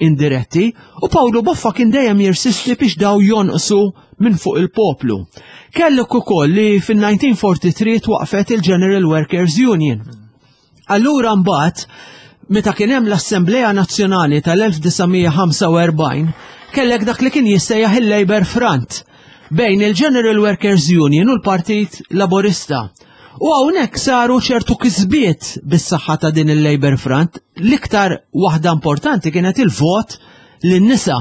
indiretti, u Pawlu Boffa kien dejjem jirsisti biex daw jonqsu minn fuq il-poplu. Kellek ukoll li fil-elf disa' mija tlieta u erbgħin twaqfet il-General Workers Union. Allura mbagħad meta kien hemm l-Assemblea Nazzjonali tal-elf disa' mija ħamsa u erbgħin, kellek dak li kien jissejjaħ il-Labour Front bejn il-General Workers Union u l-Partit Laborista. U hawnhekk saru ċertu kisbiet bis-saħħa ta' din il-Labour Front. L-iktar waħda importanti kienet il-vot lin-nisa.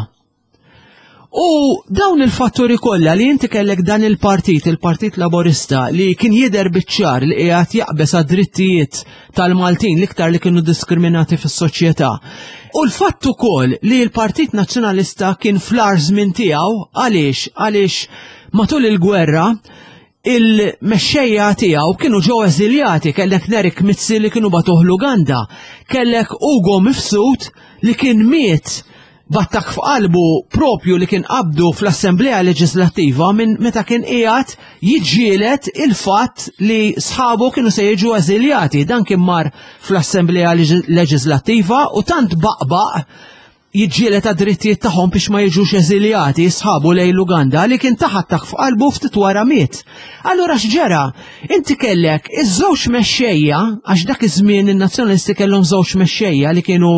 U dawn il-fatturi kollha, li inti kellek dan il-partit, il-Partit Laborista, li kien jidher biċ-ċar li qiegħed jaqbeż għad-drittijiet tal-Maltin l-iktar li kienu diskriminati fis-soċjetà. U l-fatt ukoll li l-Partit Nazzjonalista kien fl-agħar żmien tiegħu, għaliex għaliex matul il-gwerra il-mexxejja tiegħu kienu ġew eżiljati, kellek Nerik Mizzi li kienu bagħtuh l-Uganda, kellek Ugo Mifsud li kien miet b'attakk f'qalbu propju li kien qabdu fl-Assemblea Leġislattiva minn meta kien qiegħed jiġġieled il-fatt li sħabu kienu se jiġu eżiljati. Dan kien mar fl-Assemblea Leġislattiva u tant baqbaq jiġġieled għad-drittijiet tagħhom biex ma jiġux eżiljati sħabu lejn l-Uganda li kien tah attakk f'qalbu, ftit wara miet. Allura x'ġara? Inti kellek iż-żewġ mexxejja, għax dak iż-żmien in-nazzjonalisti kellhom żewġ mexxejja li kienu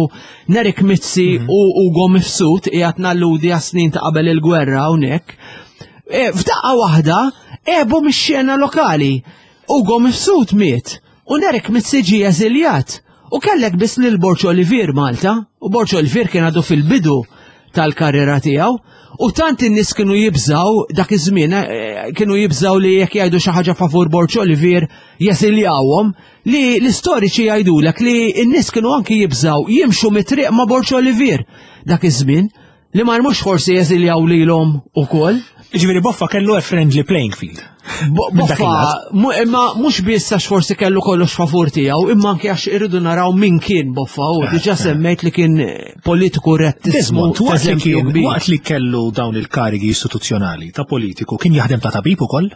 Nerik Mizzi u Ugo Mifsud, qiegħed nalludi għas-snin ta' qabel il-gwerra hawnhekk. E, f'daqqa waħda Għebu mix-xena lokali. Ugo Mifsud miet u Nerik Mizzi ġie eżiljat. U kellek biss lil Borg Olivier Malta, u Borg Olivier kien għadu fil-bidu tal-karriera tiegħu, u tant in-nies kienu jibżaw dak iż-żmien, eh, kienu jibżaw li jekk jgħidu xi ħaġa favur Borg Olivier jeżiljawhom, li l-istoriċi jgħidulek li n-nies kienu anki jibżaw jimxu mit-triq ma' Borg Olivier dak iż-żmien, li ma mhux forsi jeżiljaw lilhom ukoll. Ġifieri Boffa kellu a friendly playing field. Bo- Minn dak Boffa, il-lat. mu- imma mhux biss għax forsi kellu kollox favur tiegħu, imma anke għax irridu naraw min kien Boffa, u diġà semmejt li kien politiku rettismu Desmond, waqt li eżempju kien, kbir. waqt li kellu dawn il-karigi istituzzjonali ta' politiku, kien jaħdem ta' tabib ukoll?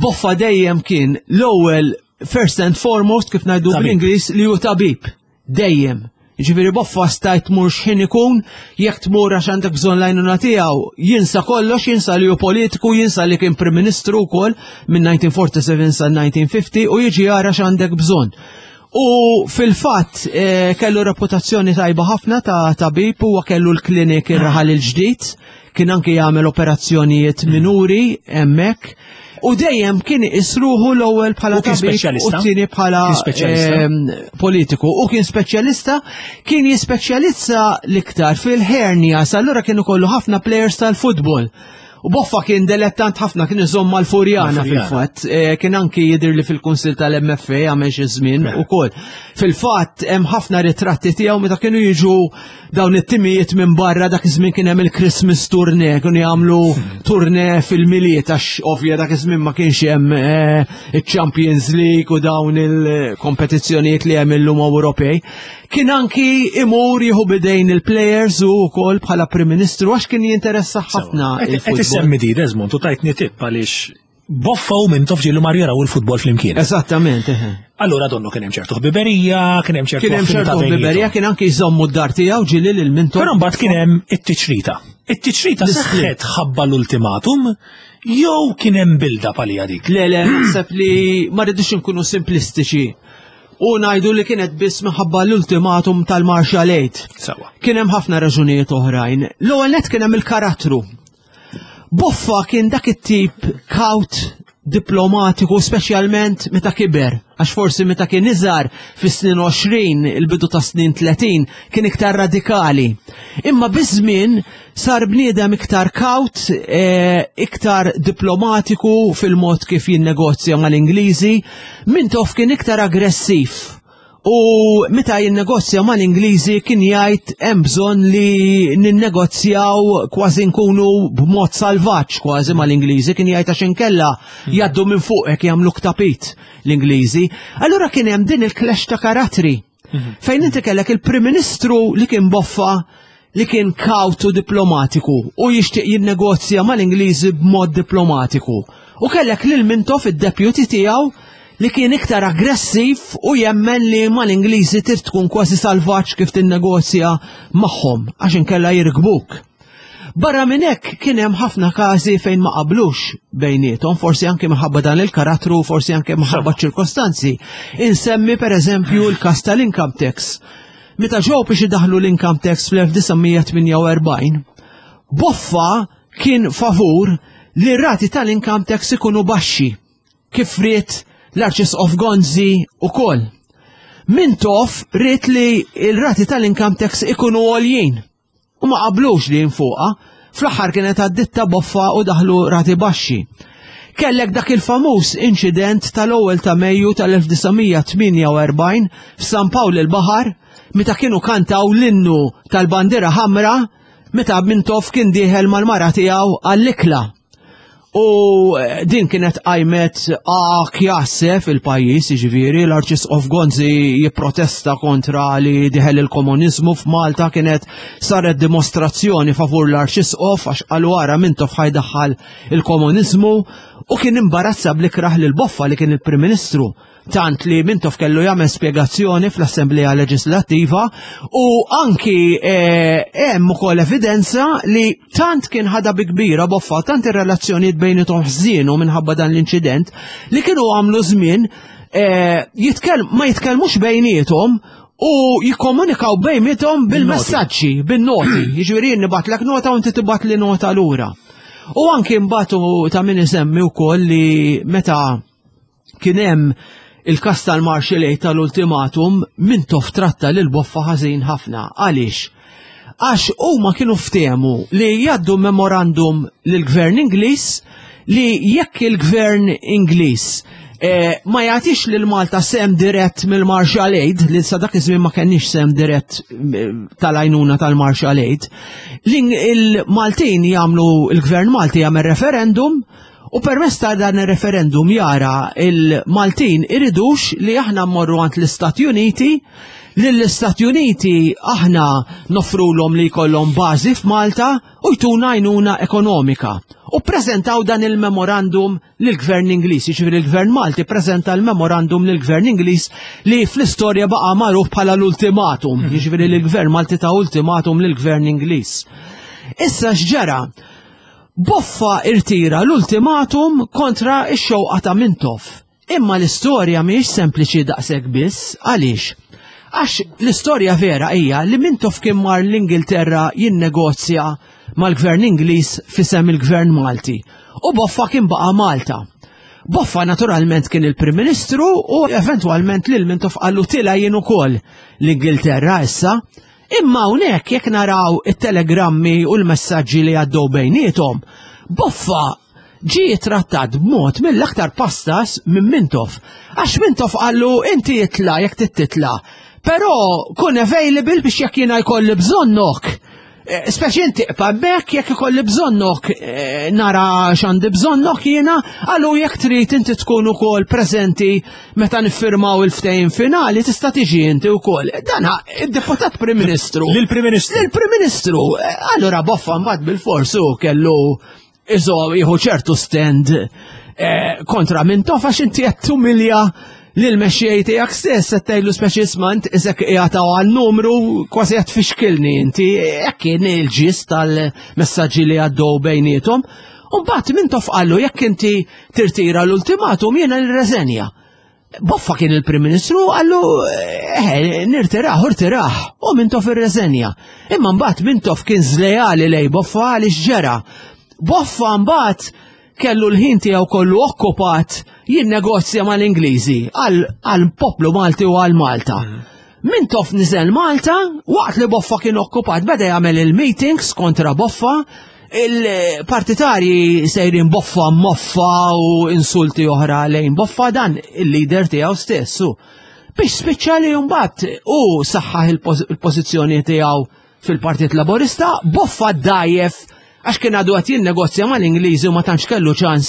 Boffa dejjem kien l-ewwel first and foremost kif ngħidu Tabib. bl-Ingliż li hu tabib. Dejjem. Ġifieri Boffa stajt tmur x'ħin ikun, jekk tmur għax għandek bżonn l-għajnuna tiegħu, jinsa kollox, jinsa li hu politiku, jinsa li kien Prim Ministru wkoll minn nineteen forty-seven sa nineteen fifty u jiġi jara x'għandek bżonn. U fil-fatt, eh, kellu reputazzjoni tajba ħafna ta' tabib, huwa kellu l-klinik ir-raħal il-ġdid, kien anki jagħmel operazzjonijiet minuri hemmhekk. U dejjem kien isruħu l-ewwel bħala U kien tabib u speċjalista? t-tieni bħala, Kien speċjalista? ehm, politiku. U kien speċjalista, kien jispeċjalizza l-iktar fil-hernias, allura kienu kollu ħafna players tal-futbol. U Boffa kien dilettant ħafna, kien iżomm mal-Furjana Mal-Furjana. fil-fatt. Eh, kien anki jidher li fil-Kunsil tal-M F A għamel xi żmien Mela. ukoll. Fil-fatt hemm ħafna ritratti tiegħu meta kienu jiġu dawn it-timijiet minn barra, dak iż-żmien kien hemm il-Christmas tournée, kienu jagħmlu tournée fil-Milied għax ovvja dak iż-żmien ma kienx hemm, eh, il-Champions League u dawn il-kompetizzjonijiet li hemm illum Ewropej. Kien anki imur jieħu bidejn il-players u wkoll bħala Prim Ministru għax kien jinteressa ħafna Qed- qed il-futbol. issemmi di Desmond u tajtni tip għaliex Boffa u Mintoff ġielu mar jaraw il-futbol flimkien. Eżattament, eħe. Allura donnu kien hemm ċertu ħbiberija, kien hemm ċertu Kien hemm affinità ċertu bejniethom. ħbiberija, kien anki jżommu d-dar tiegħu ġieli lil Mintoff. Però mbagħad kien hemm it-tiċrita. It-tiċrita L-isplit. seħħet ħabba l-ultimatum jew kien hemm build-up għalija dik? Le, le, naħseb li ma rridux inkunu simplistiċi. U ngħidu li kienet biss minħabba l-ultimatum tal-Marshall Aid. Sawa. Kien hemm ħafna raġunijiet oħrajn. L-ewwel nett kien hemm il-karattru. Boffa kien dak it-tip kaut diplomatiku, speċjalment meta kiber, għax forsi meta kien iżgħar fis-snin għoxrin, il-bidu ta' snin tletin, kien iktar radikali. Imma biż-żmien sar bniedem iktar kaut, eh, iktar diplomatiku fil-mod kif jinnegozja mal-Ingliżi, Mintoff kien iktar aggressiv. U meta jinnegozja mal-Ingliżi kien jgħid hemm bżonn li ninnegozjaw kważi nkunu b'mod salvaġġ kważi mal-Ingliżi, kien jgħid għax inkella jgħaddu minn fuqek jagħmlu ktapit l-Ingliżi. Allura kien hemm din il-clash ta' karattri. Fejn inti kellek il-Prim Ministru li kien Boffa li kien kawtu diplomatiku u jixtieq jinnegozja mal-Ingliżi b'mod diplomatiku. U kellek lil Mintoff id-deputy tiegħu li kien iktar aggressiv u jemmen li mal-Ingliżi trid tkun kważi salvaġġ kif tinnegozja magħhom għax inkella jirkbuk. Barra minn hekk kien hemm ħafna każi fejn ma qablux bejniethom, forsi anke minħabba dan il-karattru, forsi anke minħabba ċirkostanzi. Insemmi per eżempju l-każ tal-income tax. Meta ġew biex idaħlu l-income tax fl-elf disa' mija tmienja u erbgħin, Boffa kien favur li r-rati tal-income tax ikunu baxxi, kif ried l-Arċisqof Gonzi ukoll. Mintoff ried li l-rati tal-income tax ikunu għoljin u ma qablux li jinfuqa. Fl-aħħar kienet għadditta Boffa u daħlu rati baxxi. Kellek dak il-famuż inċident tal-ewwel ta' Mejju tal-elf disa' mija tmienja u erbgħin f'San Pawl il-Baħar meta kienu kantaw l-innu tal-bandiera ħamra meta Mintoff kien dieħel mal-mara tiegħu għall-ikla. U, eh, din kienet qajmet kjasse fil-pajjiż, jiġifieri l-Arċisqof Gonzi jipprotesta kontra li diħel il-komuniżmu f'Malta, kienet saret dimostrazzjoni favur l-Arċisqof għax qalu ara Mintoff ħajdaħħal il-komuniżmu, u kien imbarazza bl-ikrah lil Boffa li kien il-Prim Ministru, tant li Mintoff kellu jagħmel spjegazzjoni fl-Assemblea Leġislattiva, u anki, eh, hemm ukoll evidenza li tant kien ħadha bi kbira Boffa, tant ir-relazzjonijiet bejniethom ħżienu minħabba dan l-inċident li kienu għamlu żmien, eh, jitkell-, ma jitkellmux bejniethom u jikkomunikaw bejniethom bil-messaġġi, bin-noti. Jiġifieri jien nibgħatlek nota u inti tibgħat li nota lura. U anki mbagħad ta' min isemmi wkoll li meta kien hemm il-kas tal-Marshall Aid tal-ultimatum, Mintoff tratta lil Boffa ħażin ħafna. Għaliex? Għax huma kienu ftehmu li jgħaddu memorandum lill-Gvern Ingliż li jekk il-Gvern Ingliż eh, ma jagħtix lil Malta sehem dirett mill-Marshall Aid, li sa dak iż-żmien ma kenniex sehem dirett eh, tal-għajnuna tal-Marshall Aid, li il-Maltin jagħmlu, il-Gvern Malti jagħmel referendum u permezz ta' dan ir-referendum jara il-Maltin iridux li aħna mmorru għand l-Istati Uniti, li l-Istati Uniti aħna noffrulhom li jkollhom bażi f'Malta u jtuna għajnuna ekonomika. U prezentaw dan il-memorandum lill-Gvern Ingliż, jiġifieri il-Gvern Malti prezenta l-memorandum lill-Gvern Ingliż li fl-istorja baqa' magħruf bħala l-ultimatum, jiġifieri l-Gvern Malti ta ultimatum lill-Gvern Ingliż. Issa x'ġara? Boffa irtira l-ultimatum kontra ix-xewqa ta' Mintoff. Imma l-istorja mhijiex sempliċi daqshekk biss, għaliex? Għax l-istorja vera hija li Mintoff kien mar l-Ingilterra jinnegozja mal-Gvern Ingliż f'isem il-Gvern Malti. U Boffa kien baqa' Malta. Boffa naturalment kien il-Prim Ministru u eventwalment lil Mintoff qallu tila jien ukoll l-Ingilterra issa. Imma hawnhekk jekk naraw it-telegrammi u l-messaġġi li għaddew bejniethom, Boffa ġie trattat b'mod mill-aktar pastas minn Mintoff. Għax Mintoff qallu inti itla jekk titla, però kun available biex jekk jiena jkolli bżonnok. Eh, Speċi inti iqpa' hemmhekk jekk ikolli bżonnok eh, nara x'għandi bżonnok jiena, qallu jekk trid inti tkun ukoll preżenti meta niffirmaw il-ftehim finali tista' tiġi inti wkoll. Dan id-deputat Prim Ministru. Lill-Prim Ministru. Lill-Prim Ministru. Eh, Allura Boffa mbagħad bil-forsu kellu iżo jieħu ċertu stand eh, kontra Mintoff għax inti qed tumilja lil mexxej tiegħek stess qed tgħidlu speċi isma' int isek qiegħed għal numru kważi qed tfixkilni inti, hekk kien il-ġis tal-messaġġi li għaddew bejniethom. U mbagħad Mintoff qallu jekk inti tirtira l-ultimatum jiena nirreżenja. Boffa kien il-Prim Ministru qallu eh, nirtiraħ, irtiraħ, u Mintoff irreżenja. Imma mbagħad Mintoff kien żlejali lej Boffa għaliex ġera. Boffa mbagħad kellu l-ħin tiegħu kollu okkupat jinnegozja mal-Ingliżi għal poplu Malti u għal Malta. Mintoff niżel Malta, waqt li Boffa kien okkupat beda jagħmel il-meetings kontra Boffa, il-partitarji sejrin Boffa moffa u insulti oħra lejn Boffa, dan il-leader tiegħu stessu. Biex spiċċa li mbagħad u saħħaħ il-pożizzjoni tiegħu fil-Partit Laburista, Boffa dajjef għax kien għadu qed jinnegozja mal-Ingliżi u ma tantx kellu ċans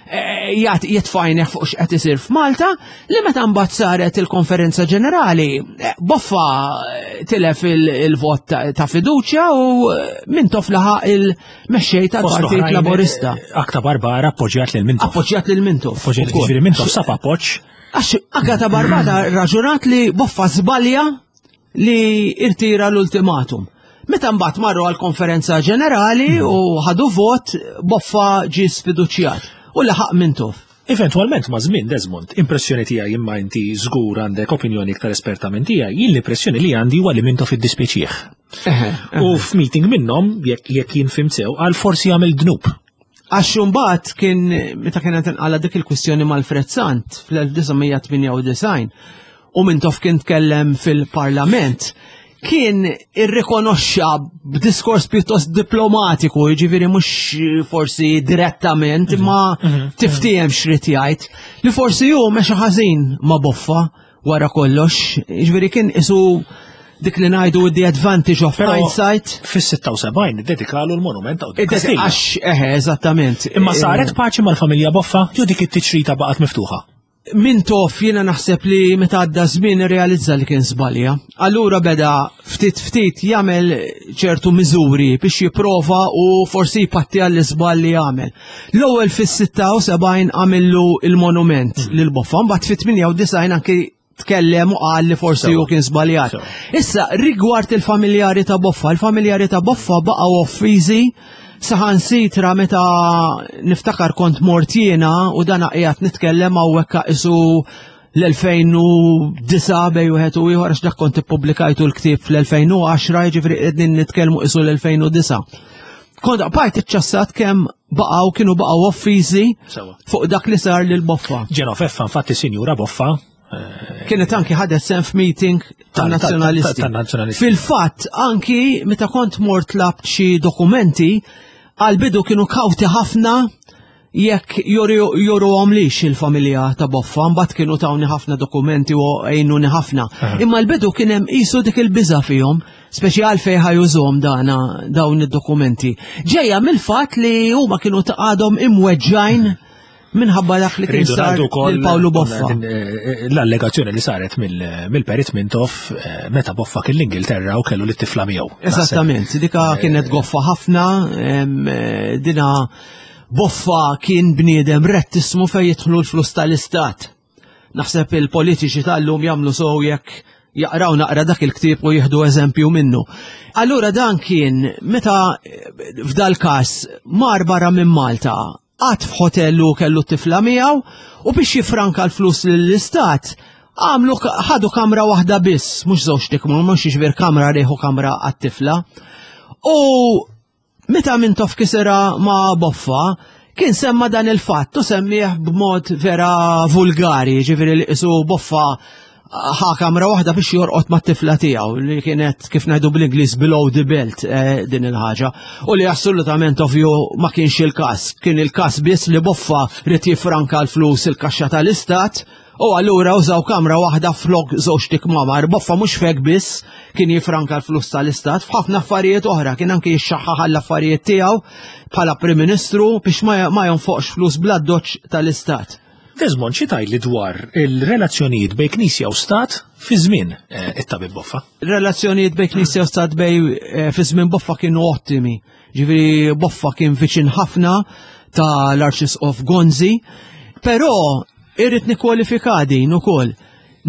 eh, jgħat jitfajneħ fuq x'qed isir f'Malta, li meta mbagħad saret il-konferenza ġenerali, eh, Boffa eh, tilef il-vot ta' fiduċja u Mintoff laħaq il-mexxej tal-Partit Laburista. Agata Barbara appoġġjat lil Mintoff. Appoġġjat lil Mintoff. Appoġġjat, jiġifieri Mintoff sab appoġġ. Għax Agata Barbara raġunat li Boffa żbalja li irtira l-ultimatum. Meta mbagħad marru għall-konferenza ġenerali u ħadu vot, Boffa ġie sfiduċjat u laħaq Mintoff. Eventualment ma' żmien, Desmond, impressjoni tiegħi, imma inti żgur għandek opinjoni iktar esperta minn tiegħi, jien l-impressjoni li għandi huwa li Mintoff iddispjaċih. U f'meeting minnhom, jekk jekk jien fhimt sew, għal forsi jagħmel dnub. Għax mbagħad kien meta kienet inqala dik il-kwistjoni mal-Alfred Sant fl-elf disa' mija tmienja u disgħin u Mintoff kien tkellem fil-Parlament, kien irrikonoxxa b'diskors pjuttost diplomatiku, jiġifieri mhux forsi direttament, imma tiftiehem x'rid jgħid, li forsi hu mexa ħażin ma' Boffa wara kollox, jiġifieri kien isu dik li ngħidu the advantage of Però hindsight. Fis-sitta u sebgħin iddedikalu l-monument ta' Kastilja. Għax, eħe, eżattament. Imma saret paċi mal-familja Boffa jew dik it-tiċrita baqgħet miftuħa? Mintoff jiena naħseb li meta għadda żmien irrealizza li kien żbalja. Allura beda ftit ftit jagħmel ċertu miżuri biex jipprova u forsi jpatti għall-iżball li għamel. L-ewwel fis-sitta u sebgħin għamillu il-monument lil Boffa, mbagħad fit-tmienja u disgħin anki tkellem u qal li forsi hu kien żbaljat. Sewa. Issa rigward il-familjari ta' Boffa, il-familjari ta' Boffa baqgħu offiżi, saħansitra meta niftakar kont mort jiena, u dan qiegħed nitkellem hawnhekk isu l-elfejn u disgħa bejn wieħed u ieħor, għax dak kont ippubblikajtu l-ktieb fl-elfejn u għaxra, jiġifieri qegħdin nitkellmu isu l-elfejn u disgħa. Kont bqajt iċċassat kemm baqgħu kienu baqgħu offiżi Sewa. fuq dak li sar lil Boffa. Ġenofeffa, infatti, Sinjura Boffa, Kienet anki ħadet sehem f'meeting tan-nazzjonalisti. Tan-nazzjonalisti. Fil-fatt, anki meta kont mort tlabt xi dokumenti, għal-bidu kienu kawti ħafna jekk juruhom lix il-familja ta' Boffa, mbagħad kienu tawni ħafna dokumenti u għejnuni ħafna. Imma l-bidu kien hemm qisu dik il-biża fihom, speċi għalfejn ħa jużhom dana dawn id-dokumenti. Ġejja mill-fatt li huma kienu għadhom imweġġajn minħabba dak li kien Rridu sar ngħidu wkoll lil Pawlu Boffa. din, eh, L-allegazzjoni li saret mill- mill-Perit Mintoff eh, meta Boffa kien l-Ingilterra u kellu lit-tifla miegħu. Esattament, dika kienet goffa ħafna, em, eh, dina Boffa kien bniedem rettismu fej jidħlu l-flus tal-istat. Naħseb il-politiċi tal-lum jagħmlu sew jekk jaqraw naqra dak il-ktieb u jieħdu eżempju minnu. Allura dan kien meta eh, f'dal każ mar barra minn Malta, qagħad f'hotel u kellu t-tifla miegħu u biex jifranka l-flus lill-istat għamlu ħadu kamra waħda biss, mhux żewġ tikmur, mhux jiġifier kamra riħu kamra għat-tifla. U meta Mintoff kisera ma' Boffa, kien semma dan il-fatt u semmih b'mod vera vulgari, ġifieri li qisu Boffa ħa kamra waħda biex jorqod ma' tifla tiegħu li kienet kif ngħidu bl-Ingliż below the belt eh, din il-ħaġa. U li assolutament ovvju ma kienx il-każ. Kien il-każ biss li Boffa ried jifranka l-flus il-kaxxa tal-istat u allura użaw kamra waħda flok żewġ tikmamar. Boffa mhux fek biss kien jifranka l-flus tal-istat, f'ħafna affarijiet oħra kien anke jixxaħħaħ l-affarijiet tiegħu bħala Prim Ministru biex ma ma jonfoqx flus bl-addoċċ tal-istat. Desmond, xi tgħidli dwar il-relazzjonijiet bejn Knisja u Stat fi żmien eh, it-tabib Boffa? Relazzjonijiet bejn Knisja u Stat bej eh, fi żmien Boffa kienu ottimi. Ġifieri Boffa kien viċin ħafna ta' l-Arċisqof Gonzi, però irrid nikkwalifika din ukoll.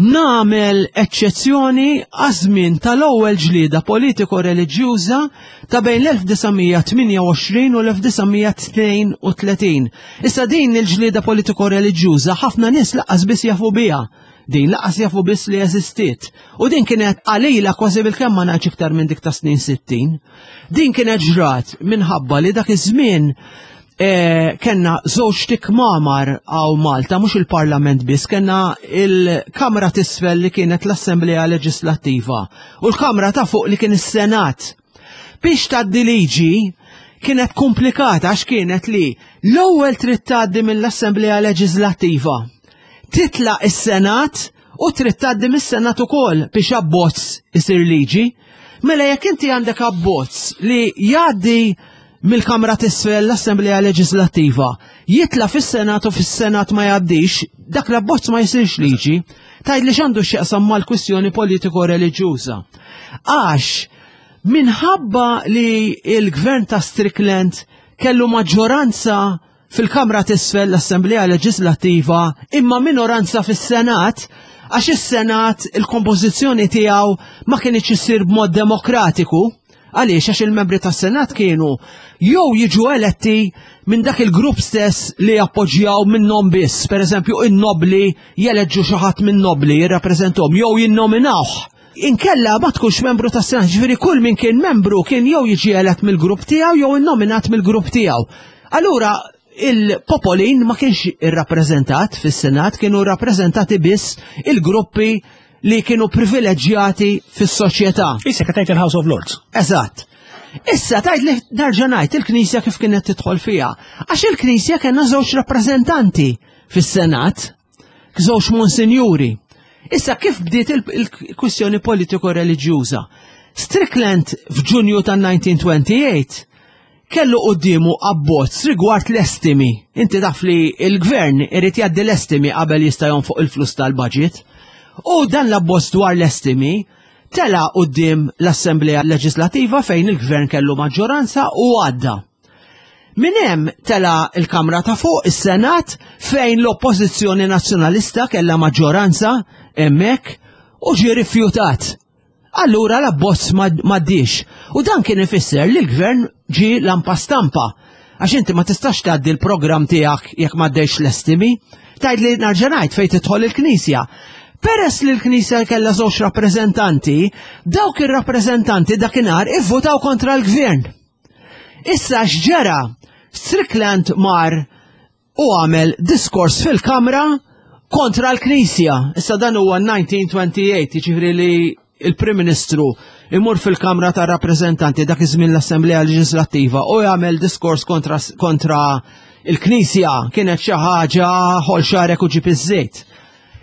Nagħmel eċċezzjoni għaż-żmien tal-ewwel ġlieda politiko-reliġjuża ta' bejn l-elf disa' mija tmienja u għoxrin u l-elf disa' mija tnejn u tletin. Issa din il-ġlieda politiko-reliġjuża ħafna nies lanqas biss jafu biha. Din lanqas jafu biss li eżistiet. U din kienet qalila kważi bil-kemm, ma ngħidx iktar minn dik ta' snin sittin. Din kienet ġrat minħabba li dak iż-żmien eh, kellna żewġ tikmamar hawn Malta, mhux il-Parlament biss, kellna il-Kamra t'Isfel li kienet l-Assemblea Leġislattiva u l-Kamra ta' fuq li kien is-Senat. Biex tgħaddi liġi kienet komplikata għax kienet li l-ewwel trid tgħaddi mill-Assemblea Leġislattiva. Titla' is-Senat u trid tgħaddi mis-Senat ukoll biex abbozz isir liġi. Mela jekk inti għandek abbozz li jgħaddi mill-Kamra t'Isfel, l-Assemblea Leġislattiva, jitla' fis-Senat u fis-Senat ma jgħaddix, dak l-abbozz ma jsirx liġi. Tgħid li x'għandu x'jaqsam mal-kwistjoni politiko-reliġjuża? Għax minħabba li il-gvern ta' Strickland kellu maġġoranza fil-Kamra t'Isfel, l-Assemblea Leġislattiva, imma minoranza fis-Senat, għax is-Senat il-kompożizzjoni tiegħu ma kienx issir b'mod demokratiku. Għaliex? Għax il-membri tas-Senat kienu jew jiġu eletti minn dak il-grupp stess li jappoġġjaw minnhom biss, per eżempju in-nobli jeleġġu xi ħadd minn nobli jirrappreżentahom jew jinnominawh. Inkella ma tkunx membru tas-Senat, ġifieri kull min kien membru kien jew jiġi elett mill-grupp tiegħu jew innominat mill-grupp tiegħu. Allura il-popolin ma kienx irrappreżentat fis-Senat, kienu rappreżentati biss il-gruppi li kienu privileġġjati fis-soċjetà. Issa tgħid il-House of Lords. Eżatt. Issa tgħid li nerġa' ngħid il-Knisja kif kienet tidħol fiha. Għax il-Knisja kellna żewġ rappreżentanti fis-Senat, żewġ monsinjuri. Issa kif bdiet il-kwistjoni politiko-reliġjuża? Strickland f'Ġunju tan-elf disa' mija tmienja u għoxrin kellu quddiemu abbozz rigward l-estimi. Inti taf li il-gvern irid jgħaddi l-estimi qabel jista' jonfoq il-flus tal-budget. U dan l-abbozz dwar l-estimi tela' quddiem l-Assemblea Leġislativa fejn il-gvern kellu maġġoranza u għadda. Min hemm tela' il-Kamra ta' fuq, is-Senat, fejn l-Oppożizzjoni Nazzjonalista kellha maġġoranza hemmhekk u ġie rifjutat. Allura l-abbozz m'għaddiex. U dan kien ifisser li l-gvern ġi lampa stampa. Għax inti ma tistax tgħaddi l-programm tiegħek jekk m'għaddejx l-estimi. Tgħid li nerġa' ngħid fejn tidħol il-Knisja. Peress li l-Knisja kellha żewġ rappreżentanti, dawk ir-rappreżentanti dakinhar ivvutaw kontra l-gvern. Issa x'ġara? Strickland mar u għamel diskors fil-Kamra kontra l-Knisja. Issa dan huwa elf disa' mija u tmenja u għoxrin, jiġifieri li il-Prim Ministru imur fil-Kamra ta' Rappreżentanti, dak iż-żmien l-Assemblea Leġislattiva, u jagħmel diskors kontra, kontra il-Knisja kienet xi ħaġa ħoll xagħrek u ġib iż-żejt.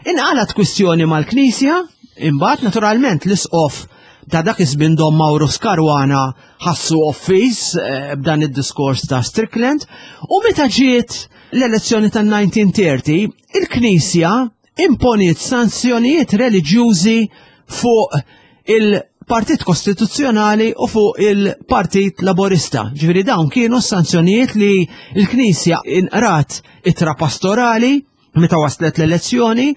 Inqalat kwistjoni mal-Knisja, imbagħad naturalment l-isqof ta' dak iż-żmien, Dom Maurus Caruana, ħassu offiż eh, b'dan id-diskors ta' Strickland, u meta ġiet l-elezzjoni tan-elf disa' mija u tletin, il-Knisja imponiet sanzjonijiet reliġjużi fuq il-Partit Kostituzzjonali u fuq il-Partit Laborista. Ġifieri dawn kienu sanzjonijiet li l-Knisja inqrat ittra pastorali meta waslet l-elezzjoni,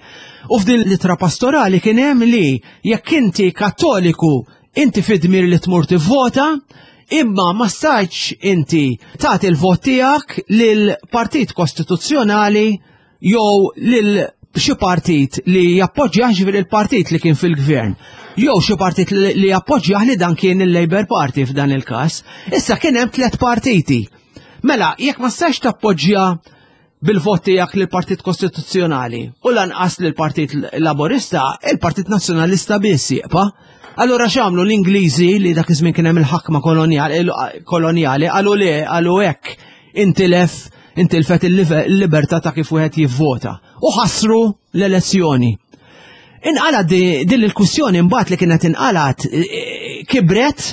u f'din l-ittra pastorali kien hemm li jekk inti Kattoliku, inti fid-dmir li tmur tivvota, imma ma stajtx inti tagħti l-vot tiegħek lil Partit Kostituzzjonali jew lil xi partit li jappoġġja, ġifieri il-partit li kien fil-gvern, jew xi partit li li jappoġġja, li dan kien il-Labour Party f'dan il-każ. Issa kien hemm tliet partiti. Mela, jekk ma stax tappoġġja bil-vot tiegħek lill Partit Kostituzzjonali u lanqas lill Partit Laborista, il-Partit Nazzjonalista biss jibqa'. Allura x'għamlu l-Ingliżi, li dak iż-żmien kien hemm il-ħakma kolonjali, kolonjali qalu li qalu hekk intilef intilfet il-libertà ta' kif wieħed jivvota u ħassru l-elezzjoni. Inqalat din il-kwistjoni mbagħad li kienet inqalat eh, kibret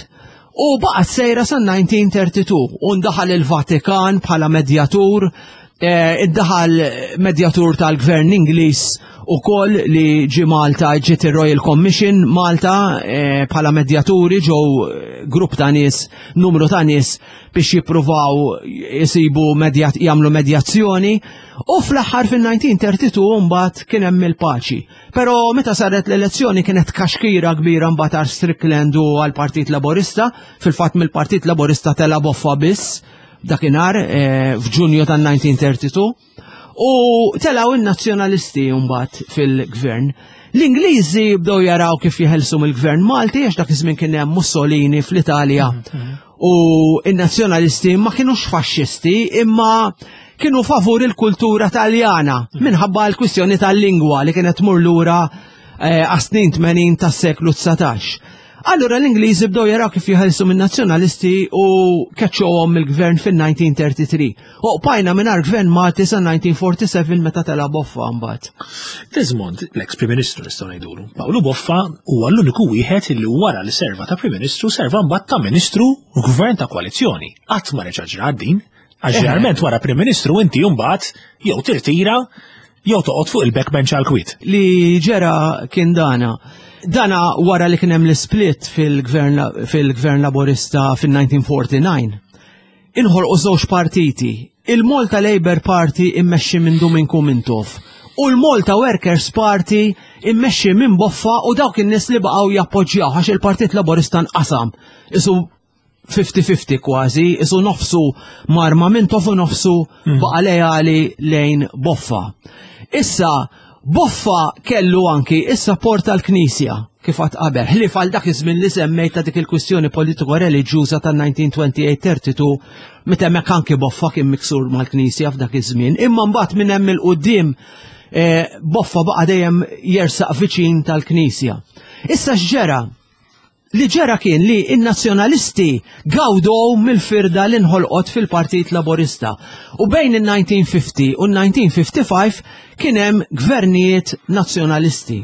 u baqgħet sejra sa elf disa' mija u tlieta u tletin u ndaħal il-Vatikan bħala medjatur, eh, iddaħal medjatur tal-gvern Ingliż u koll li ġi Malta, ġiet il-Royal Commission Malta eh, bħala medjaturi, ġew grupp ta' nies, numru ta' nies biex jippruvaw jisibu medjat, jagħmlu medjazzjoni, u fl-aħħar fil-elf disa' mija u tlieta u tletin mbagħad kien hemm il-paċi. Però meta saret l-elezzjoni kienet kaxkira kbira mbagħad għal Strickland u għal Partit Laborista, fil-fatt mill-Partit Laborista tela Boffa biss dakinhar eh, f'Ġunju tan-elf disa' mija u tlieta u tletin u telaw in-nazzjonalisti mbagħad fil-gvern. L-Ingliżi bdew jaraw kif jeħelsu mill-gvern Malti, għax dak iż-żmien kien hemm Mussolini fl-Italja u in-nazzjonalisti ma kienux faxxisti, imma kienu favur il-kultura Taljana minħabba l-kwistjoni tal-lingwa li kienet tmur lura eh, għas-snin tmenin tas-seklu dsatax. Allura l-Ingliżi bdew jaraw kif jeħelsu minn nazzjonalisti u keċċuhom mill-gvern fil-elf disa' mija u tlieta u tletin. U bqajna mingħajr gvern Malti sa elf disa' mija u erbgħa u erbgħin meta tela Boffa mbagħad. Desmond, l-ex Prim Ministru nistgħu ngħidulu, Pawlu Boffa huwa l-uniku wieħed li wara li serva ta' Prim Ministru serva mbagħad ta' Ministru u gvern ta' koalizzjoni. Qatt ma reġa' ġrat din. Għax ġeneralment wara Prim Ministru inti mbagħad jew tirtira jew toqgħod fuq il-backbench għal kwiet. Li ġera kien dana. Dana wara li kien hemm l-split fil-gvern fil-gvern Laborista fil-elf disa' mija u erbgħa u erbgħin. Inħolqu żewġ partiti, il-Malta Labour Party immexxi minn Duminku Mintoff u l-Malta Workers Party immexxi minn Boffa u dawk in-nies li baqgħu jappoġġjaw, għax il-Partit Laborista nqasam. Isu ħamsin ħamsin kważi, isu nofsu mar ma' Mintoff u nofsu baqa' leali lejn Boffa. Issa, Boffa kellu anki is-support tal-Knisja kif għad qabel, ħlief għal dak iż-żmien li semmejt ta' dik il-kwistjoni politiko-reliġjuża tan-elf disa' mija u tmenja u għoxrin tlieta u tletin, meta hemmhekk anki Boffa kien miksur mal-Knisja f'dak iż-żmien. Imma mbagħad minn hemm il-quddiem eh, Boffa baqa' dejjem jersaq viċin tal-Knisja. Issa x'ġera? Li ġera kien li in-nazzjonalisti gawdow mill-firda li nħolqot fil-Partit Laborista. U bejn il-elf disa' mija u ħamsin u l-elf disa' mija u ħamsa u ħamsin kien hemm gvernijiet nazzjonalisti.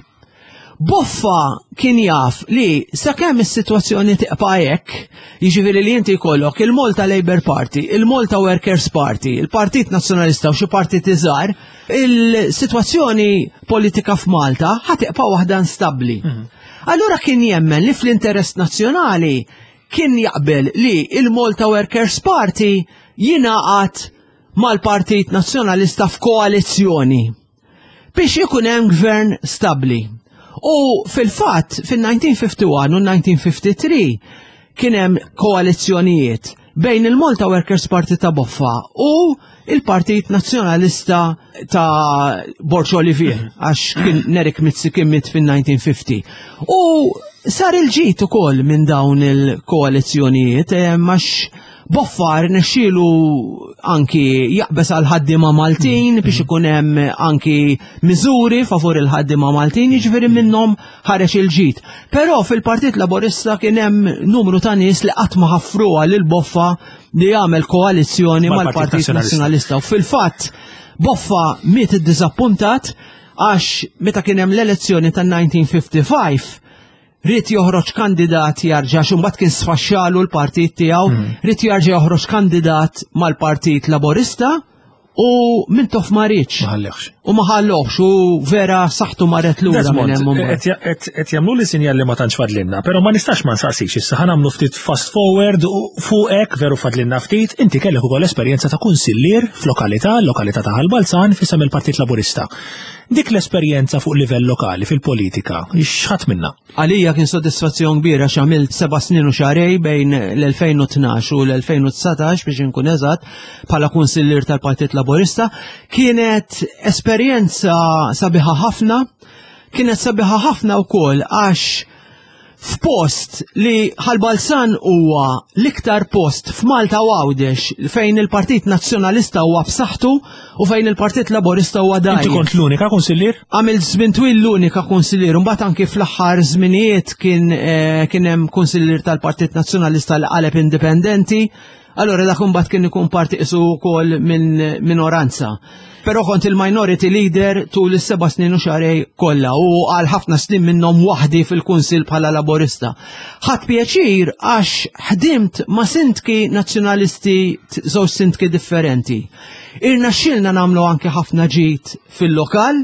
Boffa kien jaf li sakemm is-sitwazzjoni tibqa' hekk, jiġifieri li inti jkollok il-Malta Labour Party, il-Malta Workers Party, il-Partit Nazzjonalista u xi partiti żgħar, il-sitwazzjoni politika f'Malta ħa tibqa' waħda instabbli. Allura kien jemmen li fl-interess nazzjonali kien jaqbel li il-Malta Workers Party jingħaqad mal-Partit Nazzjonalista f'koalizzjoni biex ikun hemm gvern stabbli. U fil-fatt fil-elf disa' mija u wieħed u elf disa' mija u tlieta u ħamsin kien hemm koalizzjonijiet bejn il-Malta Workers Party ta' Boffa u il-Partit Nazzjonalista ta' Borg Olivier, għax kien Nerik Mizzi kien miet fil-elf disa' mija u ħamsin. U sar il-ġid ukoll minn dawn il-koalizzjonijiet, eh, għax Boffa rnexxielu anki jaqbeż għal ħaddiema Maltin biex ikun hemm anki miżuri favur il-ħaddiema Maltin, jiġifieri minnhom ħareġ il-ġid. Però fil-Partit Laburista kien hemm numru ta' nies li qatt ma ħaffruha lil Boffa li jagħmel koalizzjoni mal-Partit Nazzjonalista. U fil-fatt Boffa miet iddiżappuntat għax meta kien hemm l-elezzjoni tan-elf disa' mija u ħamsa u ħamsin ried joħroġ kandidat jarġa', xumbat kien sfaxxalu l-partit tiegħu, mm. ried jarġa' joħroġ kandidat mal-Partit Laborista u Mintoff ma riedx. U ma ħallokx u vera saħtu marret lura minn hemm. Qed jagħmlu li sinjal li ma tantx fadlinna, però ma nistax ma nsaqsix issa, ħa nagħmlu ftit fast forward fuqek, veru fadlinna ftit, inti kellek ukoll esperjenza ta' kunsillier f'lokalità, lokalità ta' Ħal Balzan f'isem il-Partit Laburista. Dik l-esperjenza fuq livell lokali fil-politika, x'ħadt minnha? Għalija kien soddisfazzjon kbira x'għamilt seba' snin u xahrejn bejn l-elfejn u tnax u l-elfejn u dsatax biex inkun eżatt bħala kunsillier tal-Partit Laburista. Kienet esperjenza sabiħa ħafna, kienet sabiħa ħafna wkoll għax f'post li Ħal Balzan huwa l-iktar post f'Malta u Għawdex fejn il-Partit Nazzjonalista huwa b'saħħtu u fejn il-Partit Laburista huwa dgħajjef. Inti kont l-unika kunsillier? Għamilt żmien twil l-unika kunsillier, mbagħad anki fl-aħħar żminijiet kien eh, kien hemm kunsillier tal-Partit Nazzjonalista li qaleb indipendenti. Allora dak imbagħad kien ikun parti isu wkoll minn minoranza. Però kont il-minority leader tul is-seba' snin u xahrejn kollha u għal ħafna snin minnhom waħdi fil-kunsil bħala Laburista. Ħadt pjaċir għax ħdimt ma' sindki nazzjonalisti, żewġ sindki differenti. Irnexxielna nagħmlu anke ħafna ġid fil-lokal.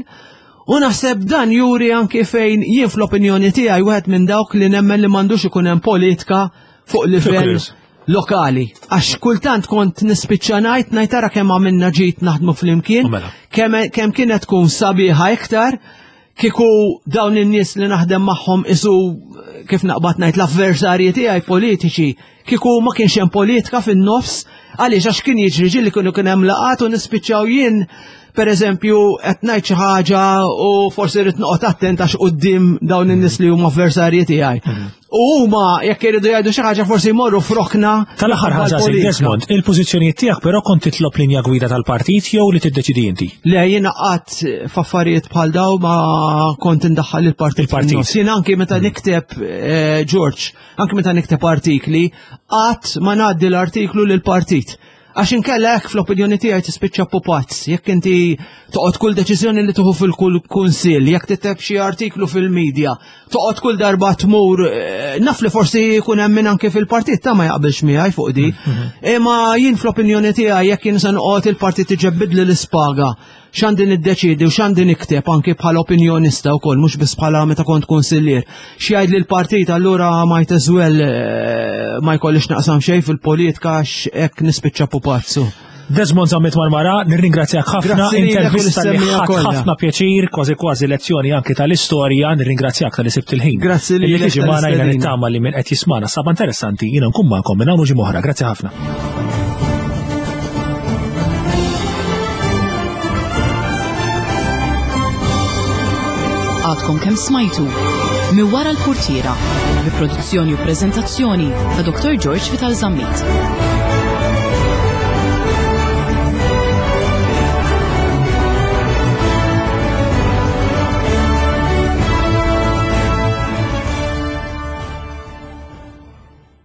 U naħseb dan juri anke fejn jien fl-opinjoni tiegħi wieħed minn dawk li nemmen li m'għandux ikun hemm politika fuq livell lokali. Għax kultant kont nispiċċa ngħid ngħid tara kemm għamilna ġid naħdmu flimkien, mela. kemm kemm kienet tkun sabiħa iktar kieku dawn in-nies li naħdem magħhom isu kif naqbad ngħid l-avversarji tiegħi politiċi, kieku ma kienx hemm politika fin-nofs, għaliex għax kien jiġri ġieli kienu kien hemm laqat u nispiċċaw jien per eżempju qed ngħid xi ħaġa u forsi rrid noqgħod attent għax quddiem dawn in-nies li huma avversarji tiegħi. Mhm. U huma jekk iridu jgħidu xi ħaġa forsi jmorru f'rokna. Tal-aħħar ħaġa, Desmond, il-pożizzjonijiet tiegħek però kont titlob linja gwida tal-partit jew li tiddeċidi inti? Le, jiena qatt f'affarijiet bħal daw ma kont indaħħal il-partit. Il-partit. Jien anki meta mhm. nikteb eh, George, anki meta nikteb artikli, qatt ma ngħaddi l-artiklu lill-partit. Għax inkella hekk fl-opinjoni tiegħi tispiċċa pupazz, jekk inti toqgħod kull deċiżjoni li tieħu fil-kull kunsill, jekk tikteb xi artiklu fil-medja, toqgħod kull darba tmur, eh, naf li forsi jkun hemm min anke fil-partit ta' ma jaqbilx miegħi fuq di. Mhm. Imma jien fl-opinjoni tiegħi jekk jien se noqgħod il-partit iġebbidli l-ispaga x'għandi niddeċidi u x'għandi nikteb anki bħala opinjonista wkoll, mhux biss bħala meta kont kunsillier. X'jgħid li l-partit, allura might as well eh, ma jkollix naqsam xejn fil-politika għax hekk nispiċċa pupazzu. Desmond Zammit Marmara, nirringrazzjak ħafna, intervista li ħadt ħafna pjaċir, kważi kważi lezzjoni anki tal-istorja, nirringrazzjak talli sibt il-ħin. Grazzi li tiġi magħna. Jiena nittama li min qed jismana saba interessanti, jiena nkun magħkom minn hawn ġimgħa oħra. Grazzi ħafna. Għadkom kemm smajtu Minn wara l-purtiera bi produzzjoni u prezentazzjoni ta' Doktor George Vital Zammit.